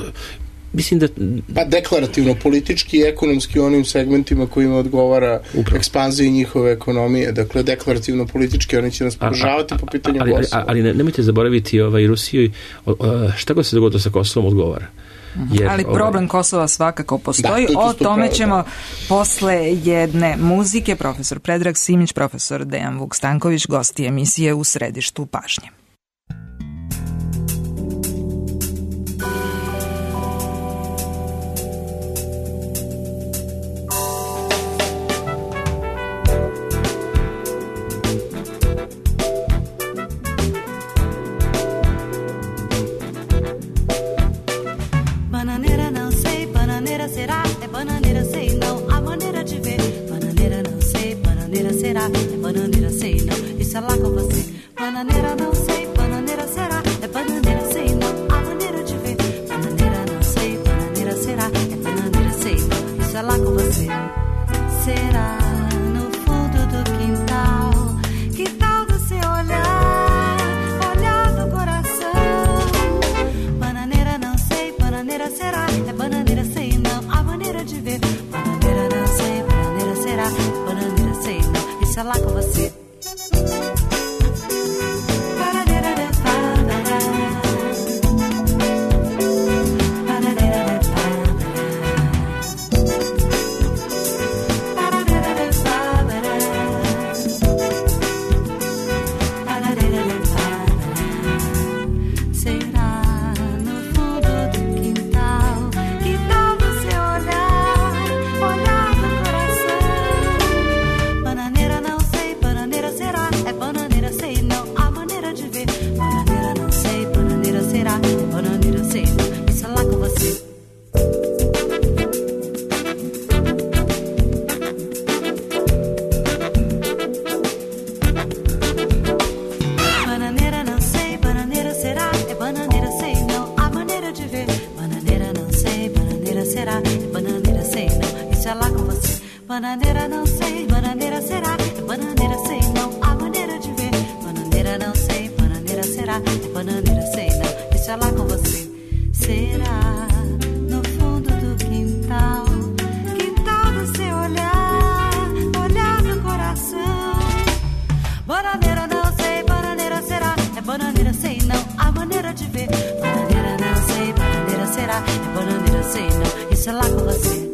Mislim da... Pa deklarativno, politički i ekonomski onim segmentima kojima odgovara upravo ekspanziji njihove ekonomije. Dakle, deklarativno politički oni će nas podržavati po pitanju ali, Kosova. Ali, ali ne, nemojte zaboraviti ovaj, Rusiju, šta god se dogodilo sa Kosovom odgovara. Jer, ali problem Kosova svakako postoji. Da, to o tome pravo, ćemo da. Posle jedne muzike. Profesor Predrag Simić, profesor Dejan Vuk-Stanković, gosti emisije U središtu pažnje. será, bananeira sei não, isso é lá com você. Bananeira não sei, bananeira será, bananeira sei não, a maneira de ver. Bananeira não sei, bananeira será, bananeira sei não, isso é lá com você. Será no fundo do quintal, quintal do seu olhar, olhar do coração. Bananeira não sei, bananeira será, é bananeira sei não, a maneira de ver. Bananeira não sei, bananeira será, é bananeira sei não, isso é lá com você.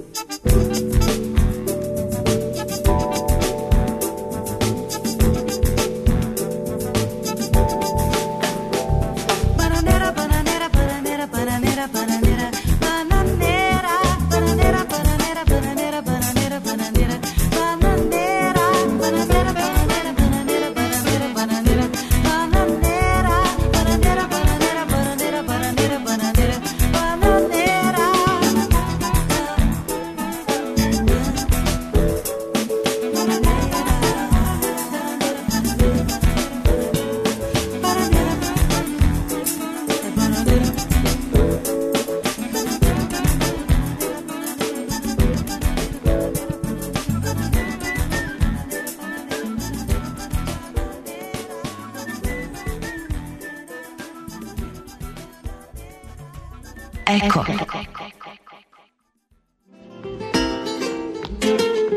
Eko.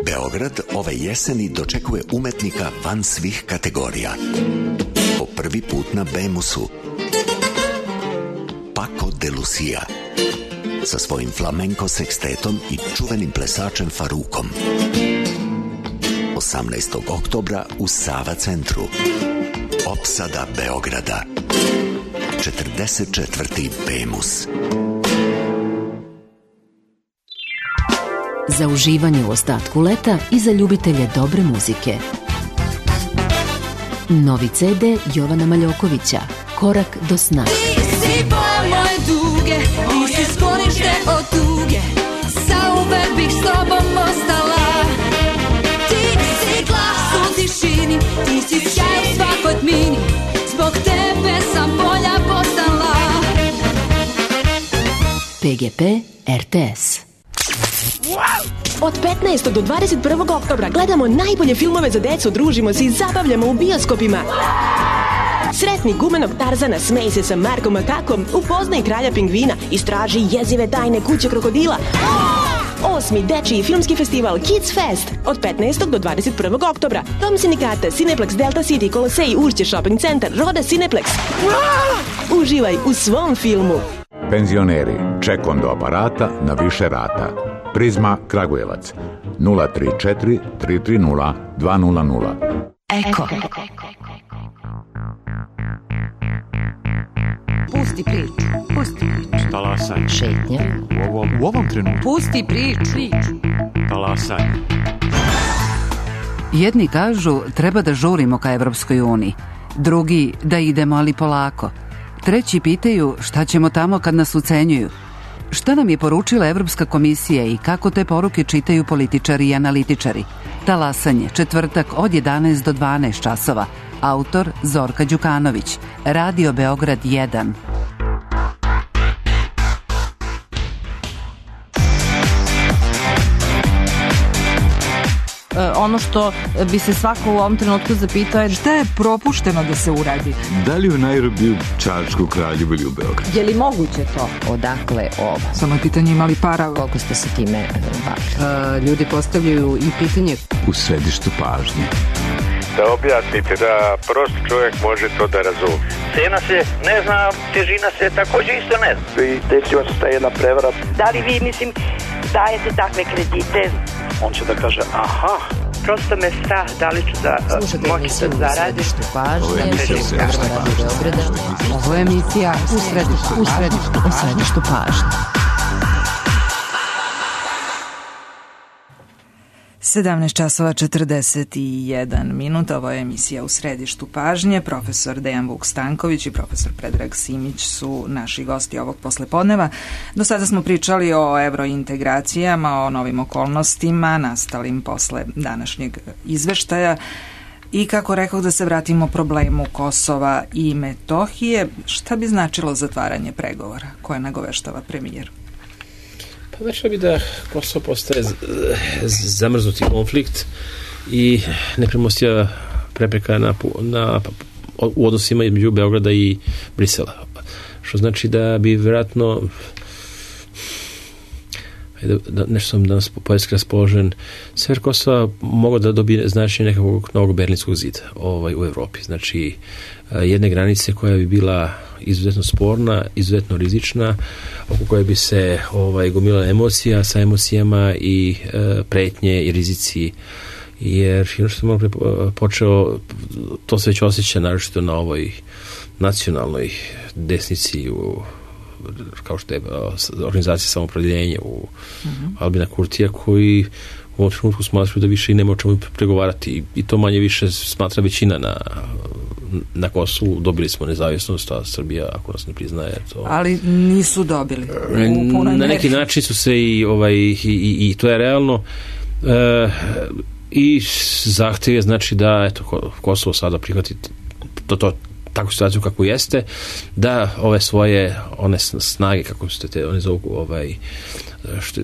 Beograd ove jeseni dočekuje umetnika van svih kategorija. Po prvi put na Bemusu. Paco de Lucia. Sa svojim flamenko sekstetom i čuvenim plesačem Farukom. osamnaestog oktobra u Sava centru. Opsada Beograda. četrdeset četvrti Bemus. Za uživanje u ostatku leta i za ljubitelje dobre muzike. Novi ce de Jovana Maljokovića, Korak do sna. Ti si boje moje duge, ti si sklonište od tuge, zauvek bih s tobom ostala. Ti si glas u tišini, ti si sjaj u svakoj tmini, zbog tebe sam bolja postala. pe ge pe er te es. Od petnaestog do dvadeset prvog oktobra gledamo najbolje filmove za decu, družimo se i zabavljamo u bioskopima. Sretni gumenog Tarzana, smej se sa Markom Makakom, upoznaj kralja pingvina, istraži jezive tajne kuće krokodila. Osmi dečiji filmski festival Kids Fest od petnaestog do dvadeset prvog oktobra. Dom sindikata, Cineplex, Delta City, Kolosej, Ušće Shopping Centar, Roda Cineplex. Uživaj u svom filmu. Penzioneri, ček do aparata na više rata. Prizma Kragujevac nula tri četiri tri tri nula dva nula nula. Eko. Pusti priču, pusti priču. Talasaj. Šetnja. U ovom, u ovom trenutku. Pusti priču. Talasaj. Jedni kažu treba da žurimo ka Evropskoj uniji, drugi da idemo ali polako. Treći pitaju šta ćemo tamo kad nas ucenjuju. Šta nam je poručila Evropska komisija i kako te poruke čitaju političari i analitičari? Talasanje, četvrtak od jedanaest do dvanaest časova. Autor Zorka Đukanović. Radio Beograd jedan. Ono što bi se svako u ovom trenutku zapitao je šta je propušteno da se uradi. Da li u Nairobiju, Čačku, Kraljevu ili u Beogradu? Je li moguće to? Odakle ovo? Samo je pitanje imali para. Koliko ste se time bavili? Uh, ljudi postavljaju i pitanje u središtu pažnje. Da objasnite, da prost čovjek može to da razumije. Cena se ne zna, težina se također isto ne zna. I desila se ta jedna prevara. Da li vi, mislim, dajete takve kredite? On će da kaže, aha. Prosto me strah, da li ću da moći da zaradim. Ovo je emisija Ovo je emisija u središtu, u središtu, u središtu pažnje. sedamnaest časova četrdeset jedan minut. Ovo je emisija u središtu pažnje. Profesor Dejan Vuk Stanković i profesor Predrag Simić su naši gosti ovog poslepodneva. Do sada smo pričali o evrointegracijama, o novim okolnostima nastalim posle današnjeg izveštaja i kako rekao da se vratimo problemu Kosova i Metohije. Šta bi značilo zatvaranje pregovora koje nagoveštava premijer? Znači da bi da Kosovo postaje zamrznuti konflikt i nepremostiva prepreka na, na, u odnosima između Beograda i Brisela. Što znači da bi vjerojatno da, da nešto sam danas poetski raspoložen, sever Kosova mogao da dobije značenje nekakvog novog berlinskog zida ovaj, u Evropi. Znači jedne granice koja bi bila izuzetno sporna, izuzetno rizična, oko koje bi se ovaj, gomila emocija sa emocijama i e, pretnje i rizici, jer ono što sam malo počeo, to se već osjeća naročito na ovoj nacionalnoj desnici u, kao što je organizacija samoopredeljenja u mm-hmm. Albina Kurtija, koji u ovom trenutku smatruju da više i nema o čemu pregovarati i to manje više smatra većina na na Kosovu. Dobili smo nezavisnost, a Srbija ako nas ne priznaje to... Ali nisu dobili. Na neki način su se i, ovaj, i, i, i to je realno e, i zahtjev je znači da eto, Kosovo sada prihvati to, to takvu situaciju kako jeste, da ove svoje one snage, kako ste te, one zovu ovaj što,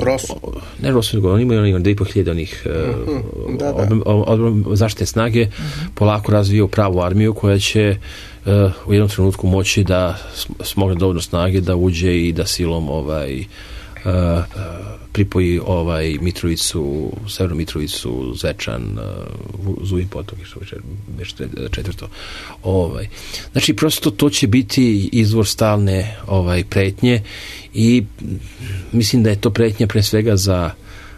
Rosu. Ne Rosu, nego oni imaju onih da i po hiljada onih uh-huh. da, da. Od, od, zaštite snage uh-huh. polako razvijaju pravu armiju koja će uh, u jednom trenutku moći da smogne dovoljno snage da uđe i da silom ovaj uh, uh, pripoji ovaj Mitrovicu, Severnu Mitrovicu, Zečan, uh, Zujin potok, što već četvrto. Ovaj. Znači, prosto to će biti izvor stalne ovaj, pretnje i mislim da je to pretnja pre svega za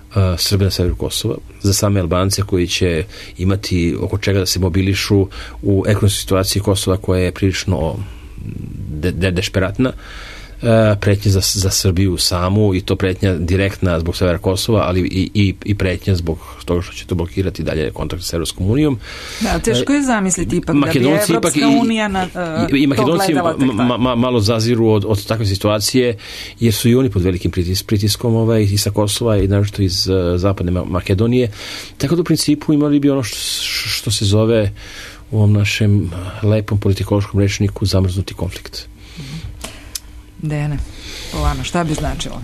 uh, Srbe na severu Kosova, za same Albance koji će imati oko čega da se mobilišu u ekonomskoj situaciji Kosova koja je prilično de, de, dešperatna. Pretnja za, za Srbiju samu i to pretnja direktna zbog severa Kosova, ali i, i, i pretnja zbog toga što će to blokirati dalje kontakt sa Evropskom unijom. Da, teško je zamisliti ipak da bi Evropska unija na, uh, i, i Makedonci ma, ma, malo zaziru od, od takve situacije, jer su i oni pod velikim pritis, pritiskom ovaj, i sa Kosova i naročito iz uh, zapadne Makedonije. Tako da u principu imali bi ono što, što se zove u ovom našem lepom politikološkom rečniku zamrznuti konflikt. Dejane, po vama, šta bi značilo?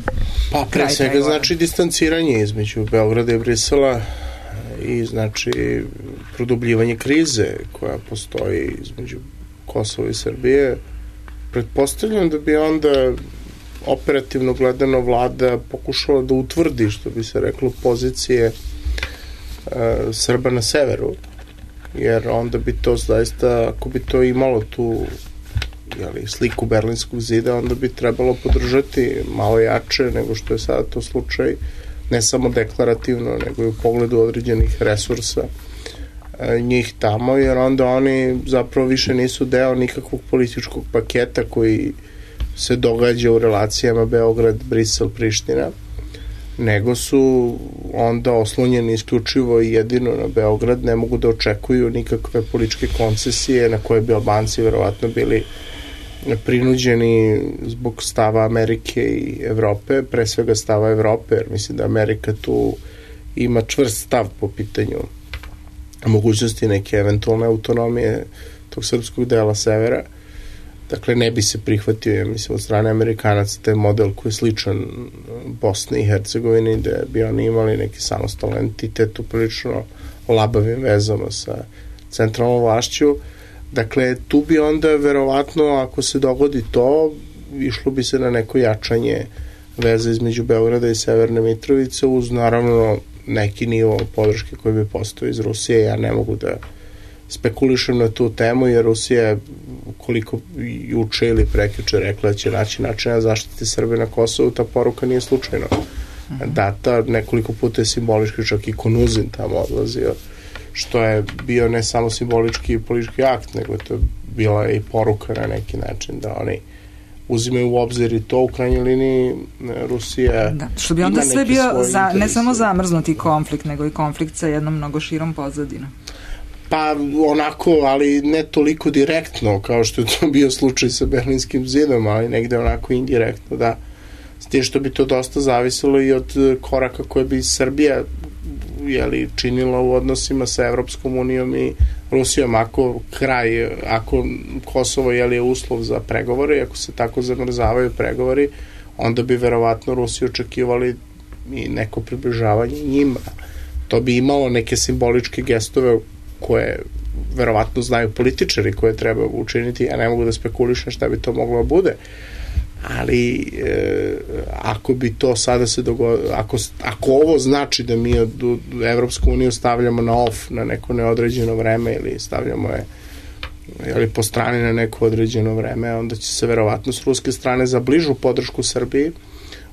Pa pre svega znači distanciranje između Beograda i Brisela i znači produbljivanje krize koja postoji između Kosova i Srbije. Pretpostavljam da bi onda operativno gledano vlada pokušala da utvrdi, što bi se reklo, pozicije uh, Srba na severu, jer onda bi to zaista, ako bi to imalo tu jeli, sliku Berlinskog zida, onda bi trebalo podržati malo jače nego što je sada to slučaj, ne samo deklarativno, nego i u pogledu određenih resursa e, njih tamo, jer onda oni zapravo više nisu deo nikakvog političkog paketa koji se događa u relacijama Beograd, Brisel, Priština, nego su onda oslonjeni isključivo i jedino na Beograd, ne mogu da očekuju nikakve političke koncesije na koje bi Albanci verovatno bili prinuđeni zbog stava Amerike i Evrope, pre svega stava Evrope, jer mislim da Amerika tu ima čvrst stav po pitanju mogućnosti neke eventualne autonomije tog srpskog dela severa. Dakle, ne bi se prihvatio, ja mislim, od strane Amerikanaca taj model koji je sličan Bosni i Hercegovini, gde bi oni imali neki samostalan entitet u prilično labavim vezama sa centralnom vlašću. Dakle, tu bi onda verovatno, ako se dogodi to, išlo bi se na neko jačanje veze između Beograda i Severne Mitrovice, uz naravno neki nivo podrške koji bi postao iz Rusije. Ja ne mogu da spekulišem na tu temu, jer Rusija, koliko juče ili prekjuče rekla da će naći načina zaštiti Srbe na Kosovu, ta poruka nije slučajno data. Nekoliko puta je simbolički, čak i Konuzin tamo odlazio, što je bio ne samo simbolički i politički akt, nego to je bila i poruka na neki način da oni uzimaju u obzir i to u krajnjoj liniji Rusija. Da, što bi onda sve bio za, ne samo zamrznuti konflikt, nego i konflikt sa jednom mnogo širom pozadinom. Pa onako, ali ne toliko direktno kao što je to bio slučaj sa Berlinskim zidom, ali negde onako indirektno, da. S tim što bi to dosta zavisilo i od koraka koje bi Srbija jeli, činila u odnosima sa Evropskom unijom i Rusijom. Ako kraj, ako Kosovo jeli, je uslov za pregovore, ako se tako zamrzavaju pregovori, onda bi verovatno Rusi očekivali i neko približavanje njima. To bi imalo neke simboličke gestove koje verovatno znaju političari koje treba učiniti. Ja ne mogu da spekulišem šta bi to moglo da bude. Ali e, ako bi to sada se dogodilo, ako, ako ovo znači da mi od, od Evropsku uniju stavljamo na off na neko neodređeno vreme ili stavljamo je ili po strani na neko određeno vreme, onda će se verovatno s ruske strane za bližu podršku Srbiji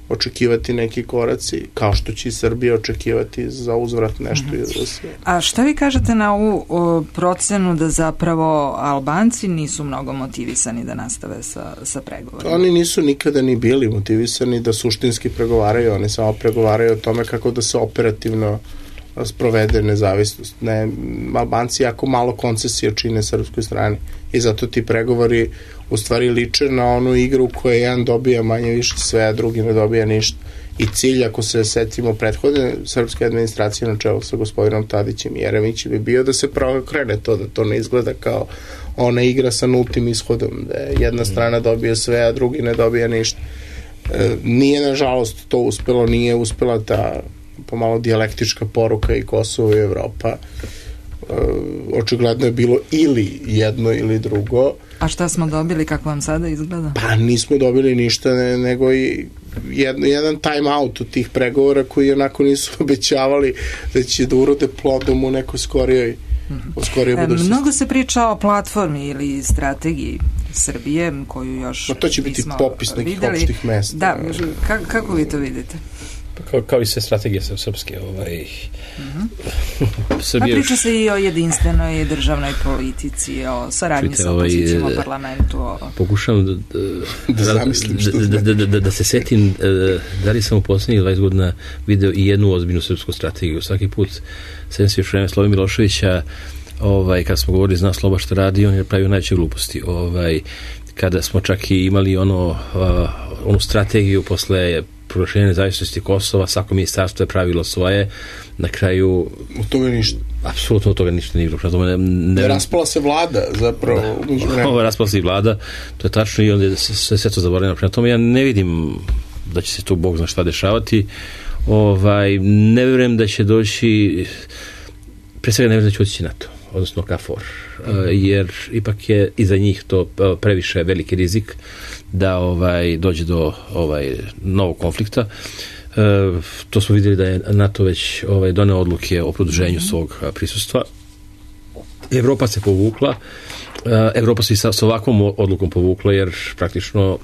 očekivati neki koraci, kao što će i Srbija očekivati za uzvrat nešto mm-hmm. iz Rusije. A šta vi kažete na ovu o, procenu da zapravo Albanci nisu mnogo motivisani da nastave sa, sa pregovorima? Oni nisu nikada ni bili motivisani da suštinski pregovaraju, oni samo pregovaraju o tome kako da se operativno sprovede nezavisnost. Ne, Albanci jako malo koncesija čine srpskoj strani i zato ti pregovori u stvari liče na onu igru koja jedan dobija manje više sve, a drugi ne dobija ništa. I cilj, ako se setimo prethodne srpske administracije na čelu sa gospodinom Tadićem i Jeremićem, bi bio da se krene to, da to ne izgleda kao ona igra sa nultim ishodom, da jedna strana dobija sve, a drugi ne dobija ništa. E, nije, nažalost, to uspelo, nije uspela ta pomalo dijalektička poruka i Kosovo i Evropa. E, očigledno je bilo ili jedno ili drugo. A šta smo dobili, kako vam sada izgleda? Pa nismo dobili ništa, ne, nego i jedan, jedan time out od tih pregovora koji onako nisu obećavali da će da urode plodom u nekoj skorijoj E, mnogo se priča o platformi ili strategiji Srbije koju još no, to će biti popis nekih videli. Opštih mesta. Da, kako, kako vi to vidite? Kao, kao i sve strategije srpske ovaj uh-huh. Srbije... Pa priča se i o jedinstvenoj državnoj politici, o saradnji Čujte, sa opozicijom, ovaj, o parlamentu, o... Pokušavam da, da, da, da, da, da, da, da se setim da li sam u poslednjih dvadeset godina video i jednu ozbiljnu srpsku strategiju. Svaki put setim se još vreme Slove Miloševića, ovaj, kada smo govorili zna Sloba što radi, on je pravio najveće gluposti. Ovaj, kada smo čak i imali ono, uh, onu strategiju posle proglašenja nezavisnosti Kosova, svako ministarstvo je pravilo svoje, na kraju... Od toga ništa. Apsolutno od toga ništa nije bilo. Ne, ne, raspala se vlada, zapravo. Da, ovo raspala se i vlada, to je tačno i onda se, se sve to zaboravljeno. Prema tome ja ne vidim da će se tu Bog zna šta dešavati. Ovaj, ne vjerujem da će doći, pre svega ne vjerujem da će otići NATO, odnosno KFOR, jer ipak je iza njih to previše veliki rizik da ovaj dođe do ovaj novog konflikta. E, to smo vidjeli da je NATO već ovaj doneo odluke o produženju mm-hmm. svog prisustva. Evropa se povukla. E, Evropa se i sa, sa ovakvom odlukom povukla jer praktično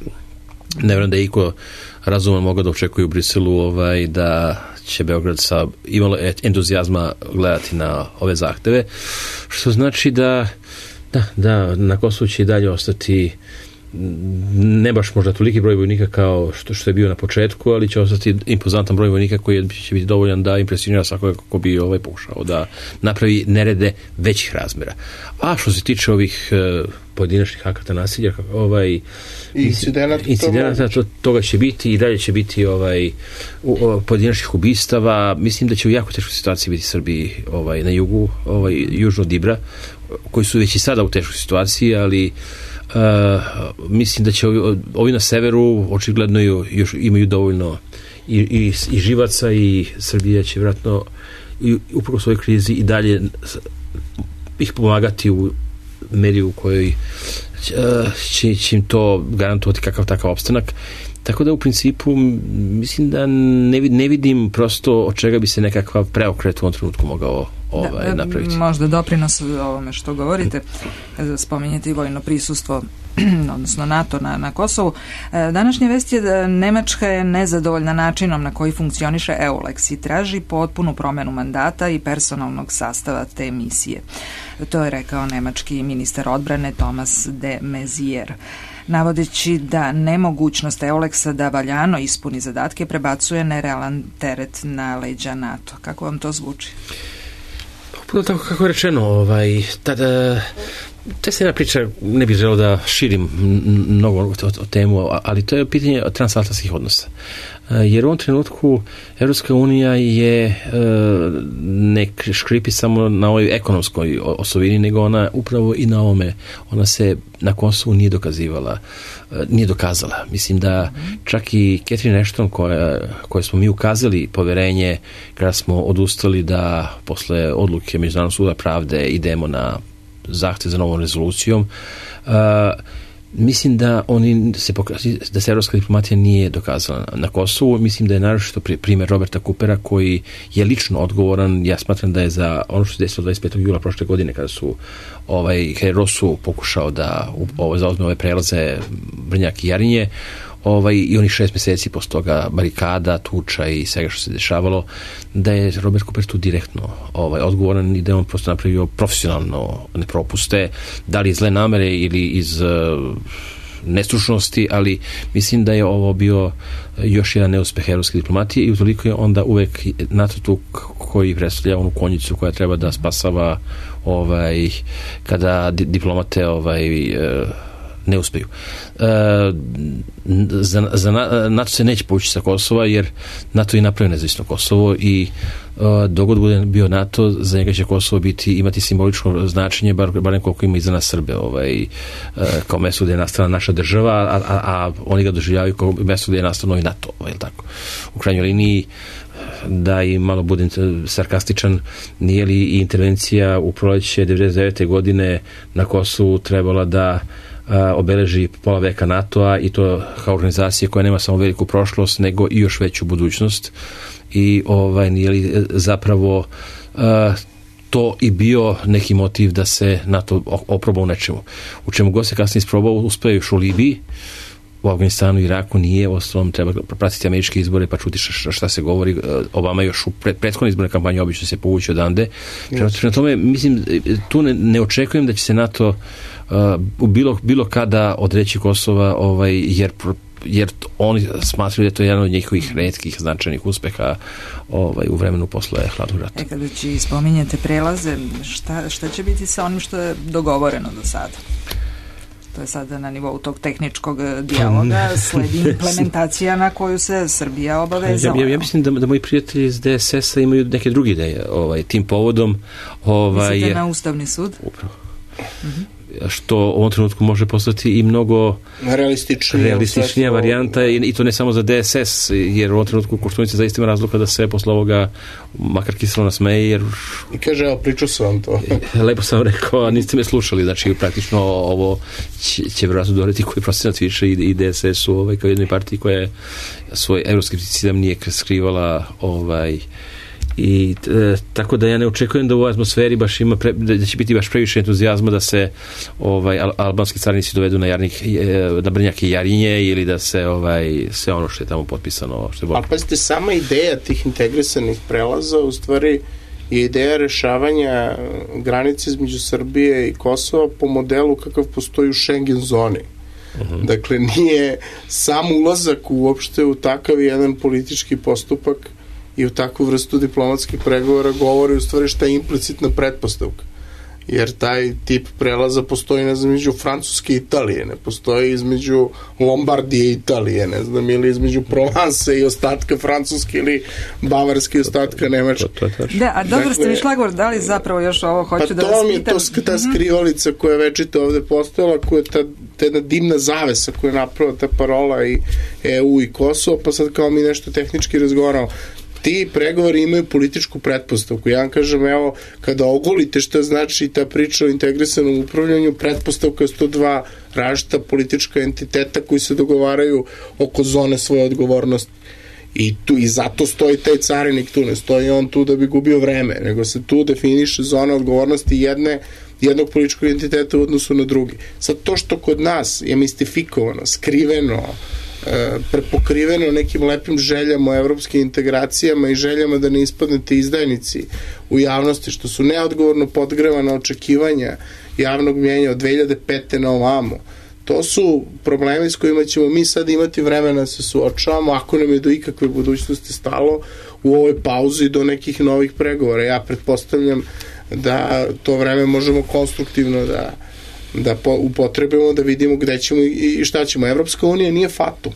ne vjerujem da je iko razuman mogao da očekuje u Briselu ovaj, da će Beograd sa imalo entuzijazma gledati na ove zahteve, što znači da da, da na Kosovu će i dalje ostati ne baš možda toliki broj vojnika kao što, što je bio na početku, ali će ostati impozantan broj vojnika koji će biti dovoljan da impresionira svakoga ko bi ovaj pokušao da napravi nerede većih razmjera. A što se tiče ovih uh, pojedinačnih akata nasilja, ovaj incidenata, incidenata to, toga će biti i dalje će biti ovaj u, o, pojedinačnih ubistava. Mislim da će u jako teškoj situaciji biti Srbiji ovaj na jugu, ovaj južno od Ibra, koji su već i sada u teškoj situaciji, ali Uh, mislim da će ovi, ovi na severu očigledno još imaju dovoljno i, i, i živaca i Srbija će vjerojatno upravo svojoj krizi i dalje ih pomagati u meri u kojoj uh, će, će im to garantovati kakav takav opstanak. Tako da u principu mislim da ne, ne vidim prosto od čega bi se nekakav preokret u ovom trenutku mogao ovaj, da, napraviti. Možda doprinos ovome što govorite, spominjete i vojno prisustvo odnosno NATO na, na Kosovu. Današnja vest je da Nemačka je nezadovoljna načinom na koji funkcioniše EULEX i traži potpunu promenu mandata i personalnog sastava te misije. To je rekao nemački ministar odbrane Thomas de Maizière, navodeći da nemogućnost EULEX-a da valjano ispuni zadatke prebacuje nerealan teret na leđa NATO. Kako vam to zvuči? Puno tako kako je rečeno, ovaj, tada, to se jedna priča, ne bih želeo da širim mnogo o, o temu, ali to je pitanje transatlantskih odnosa. jer u ovom trenutku Evropska unija je ne škripi samo na ovoj ekonomskoj osovini, nego ona upravo i na ovome, ona se na Kosovu nije dokazivala, nije dokazala. Mislim da čak i Catherine Ashton koja, koje smo mi ukazali poverenje kada smo odustali da posle odluke Međunarodnog suda pravde idemo na zahtev za novom rezolucijom, uh, mislim da oni se pokazali, da se evropska diplomatija nije dokazala na Kosovu. Mislim da je naročito primjer Roberta Coopera koji je lično odgovoran. Ja smatram da je za ono što se desilo dvadeset petog jula prošle godine kada su ovaj Rosu pokušao da ovaj, zauzme ove prelaze Brnjak i Jarinje, ovaj, i onih šest meseci posle toga barikada, tuča i svega što se dešavalo, da je Robert Cooper tu direktno ovaj, odgovoran i da je on prosto napravio profesionalno ne propuste, da li iz zle namere ili iz uh, nestručnosti, ali mislim da je ovo bio još jedan neuspeh evropske diplomatije i utoliko je onda uvek NATO tu koji predstavlja onu konjicu koja treba da spasava ovaj, kada diplomate ovaj, uh, ne uspeju. E, za, za NATO se neće povući sa Kosova jer NATO je napravio nezavisno Kosovo i e, dogod bude bio NATO, za njega će Kosovo biti, imati simbolično značenje, bar, barem koliko ima i za nas Srbe, ovaj, e, kao mesto gde je nastala naša država, a, a, a oni ga doživljavaju kao mesto gde je nastao novi NATO. Ovaj, tako. U krajnjoj liniji, da i malo budem sarkastičan, nije li i intervencija u proleće devedeset devete godine na Kosovu trebala da obeleži pola veka NATO-a i to kao organizacije koja nema samo veliku prošlost nego i još veću budućnost i ovaj, nije li zapravo uh, to i bio neki motiv da se NATO oproba u nečemu. U čemu god se kasnije isprobao, uspeo još u Libiji, u Afganistanu i Iraku nije, ostalom treba pratiti američke izbore pa čuti šta, šta se govori. Obama još u pred, prethodne izborne kampanje obično se povući odande. Prema yes. tome, mislim, tu ne, ne očekujem da će se NATO uh, bilo, bilo kada odreći Kosova, ovaj, jer jer oni smatraju da je to jedan od njihovih retkih značajnih uspeha ovaj, u vremenu posle hladnog rata. E, kada će spominjete prelaze, šta, šta će biti sa onim što je dogovoreno do sada? To je sada na nivou tog tehničkog dijaloga, sledi implementacija na koju se Srbija obavezala. Ja, ja, ja mislim da, da moji prijatelji iz D S S-a imaju neke druge ideje ovaj, tim povodom. Ovaj, Mislite na Ustavni sud? Upravo. Uh-huh. Što u ovom trenutku može postati i mnogo realističnija, realističnija varijanta i, i to ne samo za D S S, jer u ovom trenutku Koštunici zaista ima razloga da se posle ovoga makar kiselo nasmeje, jer... I kaže, evo, pričao sam vam to. Lepo sam rekao, a niste me slušali, znači praktično ovo će, će vjerojatno doreti koji procenat više i, i D S S-u ovaj, kao jednoj partiji koja je svoj evroskepticizam nije skrivala ovaj i e, tako da ja ne očekujem da u ovoj atmosferi baš ima pre, da će biti baš previše entuzijazma da se ovaj al, albanski carinici dovedu na Jarnik, e, na Brnjak i Jarinje ili da se ovaj sve ono što je tamo potpisano što je ali pazite, sama ideja tih integrisanih prelaza u stvari je ideja rešavanja granice između Srbije i Kosova po modelu kakav postoji u Schengen zoni. Uh-huh. Dakle, nije sam ulazak uopšte u takav jedan politički postupak i u takvu vrstu diplomatskih pregovora govori u stvari šta je implicitna pretpostavka. Jer taj tip prelaza postoji, ne znam, između Francuske i Italije, ne postoji između Lombardije i Italije, ne znam, ili između Provence i ostatka Francuske ili Bavarske i ostatka Nemačke. Da, a dobro ste mi šlagvor dali zapravo još ovo, hoću pa da vas pitam. Pa to mi je to, ta skrivalica koja je večito ovde postojala, koja je ta, ta jedna dimna zavesa koja je napravila ta parola i E U i Kosovo, pa sad kao mi nešto tehnički razgovaramo. Ti pregovori imaju političku pretpostavku. Ja vam kažem, evo, kada ogolite šta znači ta priča o integrisanom upravljanju, pretpostavka je sto dva različita politička entiteta koji se dogovaraju oko zone svoje odgovornosti. I, tu, I zato stoji taj carinik tu, ne stoji on tu da bi gubio vreme, nego se tu definiše zona odgovornosti jedne, jednog političkog entiteta u odnosu na drugi. Sad to što kod nas je mistifikovano, skriveno, prepokriveno nekim lepim željama o evropskim integracijama i željama da ne ispadnete izdajnici u javnosti, što su neodgovorno podgrevana očekivanja javnog mjenja od dve hiljade pete na ovamo. To su problemi s kojima ćemo mi sad imati vremena da se suočavamo, ako nam je do ikakve budućnosti stalo u ovoj pauzi do nekih novih pregovora. Ja pretpostavljam da to vreme možemo konstruktivno da da upotrebimo, da vidimo gde ćemo i šta ćemo. Evropska unija nije fatum.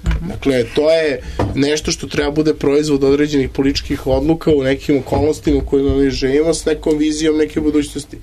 Uh-huh. Dakle, to je nešto što treba bude proizvod određenih političkih odluka u nekim okolnostima u kojima mi živimo s nekom vizijom neke budućnosti.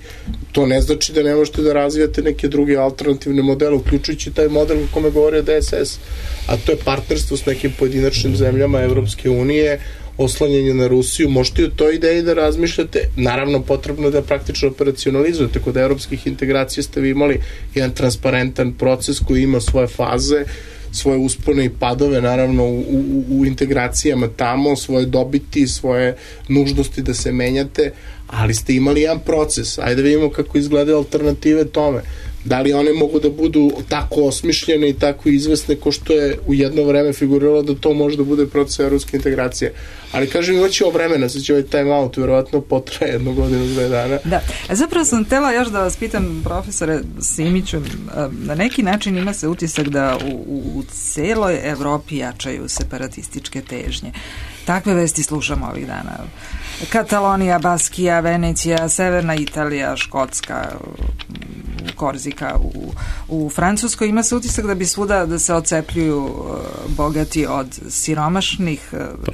To ne znači da ne možete da razvijate neke druge alternativne modele, uključujući taj model o kome govori D S S, a to je partnerstvo s nekim pojedinačnim zemljama Evropske unije, oslanjanje na Rusiju. Možete u toj ideji da razmišljate, naravno potrebno da praktično operacionalizujete. Kod evropskih integracija ste vi imali jedan transparentan proces koji ima svoje faze, svoje uspone i padove, naravno u, u, u integracijama tamo, svoje dobiti, svoje nužnosti da se menjate, ali ste imali jedan proces. Ajde vidimo kako izgledaju alternative tome. Da li one mogu da budu tako osmišljene i tako izvesne ko što je u jedno vreme figuriralo da to može da bude proces evropske integracije. Ali kažem, imaće ovo vremena, sad će ovaj time out verovatno potraje jednu godinu, dve dana. Da, zapravo sam htela još da vas pitam, profesore Simiću, na neki način ima se utisak da u, u celoj Evropi jačaju separatističke težnje. Takve vesti slušamo ovih dana. Katalonija, Baskija, Venecija, Severna Italija, Škotska, Korzika u, u Francuskoj. Ima se utisak da bi svuda da se ocepljuju bogati od siromašnih.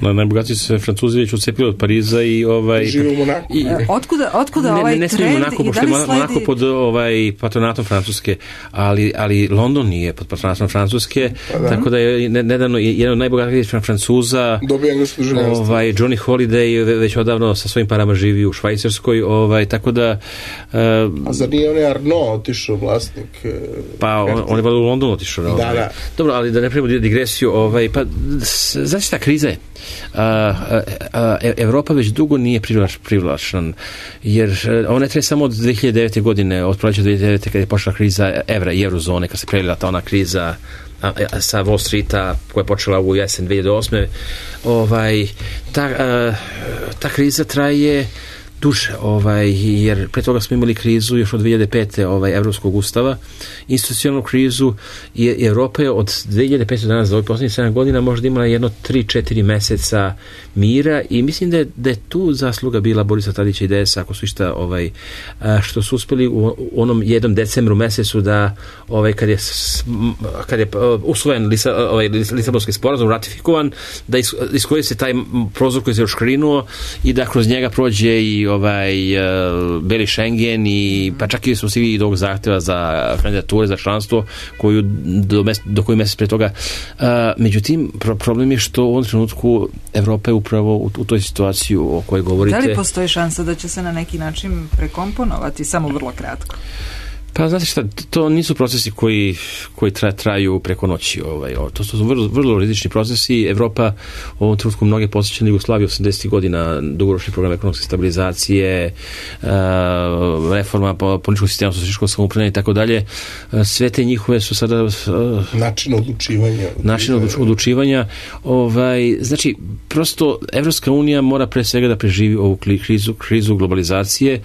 Pa, najbogatiji se Francuzi već ocepili od Pariza i ovaj... Žive u Monaku. I, otkuda, otkuda ne, ovaj ne, ne trend Monaku, i da li sledi... Monako pod ovaj, patronatom Francuske, ali, ali London nije pod patronatom Francuske, pa da. Tako da je nedavno jedan od najbogatijih Francuza dobio englesku državljanstvo. Ovaj, Johnny Holiday već odavno sa svojim parama živi u Švajcarskoj, ovaj, tako da... Uh, A zar nije onaj Arnaud otišao vlasnik? Pa on, on je valjda u Londonu otišao. Da, ovaj. da. Dobro, ali da ne pravimo digresiju, ovaj, pa znači ta kriza je. Uh, uh, Evropa već dugo nije privlač, privlačna, jer ona ne traje samo od dve hiljade devete. godine, od proleća dve hiljade devete. kada je počela kriza evra i eurozone, kad se prelila ta ona kriza a, a, sa Wall Streeta koja je počela u jesen dve hiljade osme. Ovaj, ta, uh, ta kriza traje duže, ovaj, jer pre toga smo imali krizu još od dve hiljade pete. ovaj, Evropskog ustava, institucionalnu krizu, i Evropa je od dve hiljade pete. do danas, za ovih poslednjih sedam godina, možda imala jedno tri četiri meseca mira, i mislim da je, da je tu zasluga bila Borisa Tadića i D S, ako su išta, ovaj, što su uspeli u onom jednom decembru mesecu da, ovaj, kad je, kad je usvojen Lisa, ovaj, Lisabonski sporazum, ratifikovan, da iskoriste taj prozor koji se oškrinuo i da kroz njega prođe i ovaj uh, beli Schengen, i pa čak i smo svi i dog zahteva za kandidature za članstvo koju do, mes, do koji mesec pre toga. Uh, međutim, pro, problem je što u ovom trenutku Evropa je upravo u, u toj situaciji o kojoj govorite. Da li postoji šansa da će se na neki način prekomponovati, samo vrlo kratko? Pa znate šta, to nisu procesi koji, koji tra, traju preko noći. Ovaj, to su vrlo, vrlo rizični procesi. Evropa u ovom trenutku mnoge posjeća na Jugoslaviju osamdesetih godina, dugoročni program ekonomske stabilizacije, uh, reforma političkog sistema, socijalističkog samoupravljanja i tako dalje. Sve te njihove su sada... Uh, način odlučivanja. Način odlučivanja. Ovaj, znači, prosto Evropska unija mora pre svega da preživi ovu krizu, krizu globalizacije.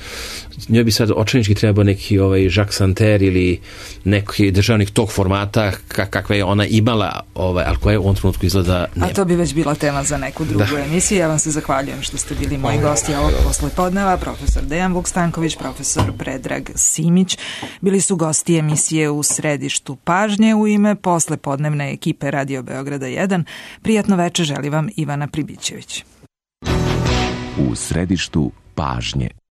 Njoj bi sad očajnički trebao neki ovaj Jacques Santer ili neki državnik tog formata kakve je ona imala, ovaj, ali koja je u ovom trenutku izgleda nema. A to bi već bila tema za neku drugu da. emisiju. Ja vam se zahvaljujem što ste bili moji gosti ovog poslepodneva, profesor Dejan Vuk-Stanković, profesor Predrag Simić. Bili su gosti emisije U središtu pažnje. U ime poslepodnevne ekipe Radio Beograda jedan. Prijatno veče želi vam Ivana Pribićević. U središtu pažnje.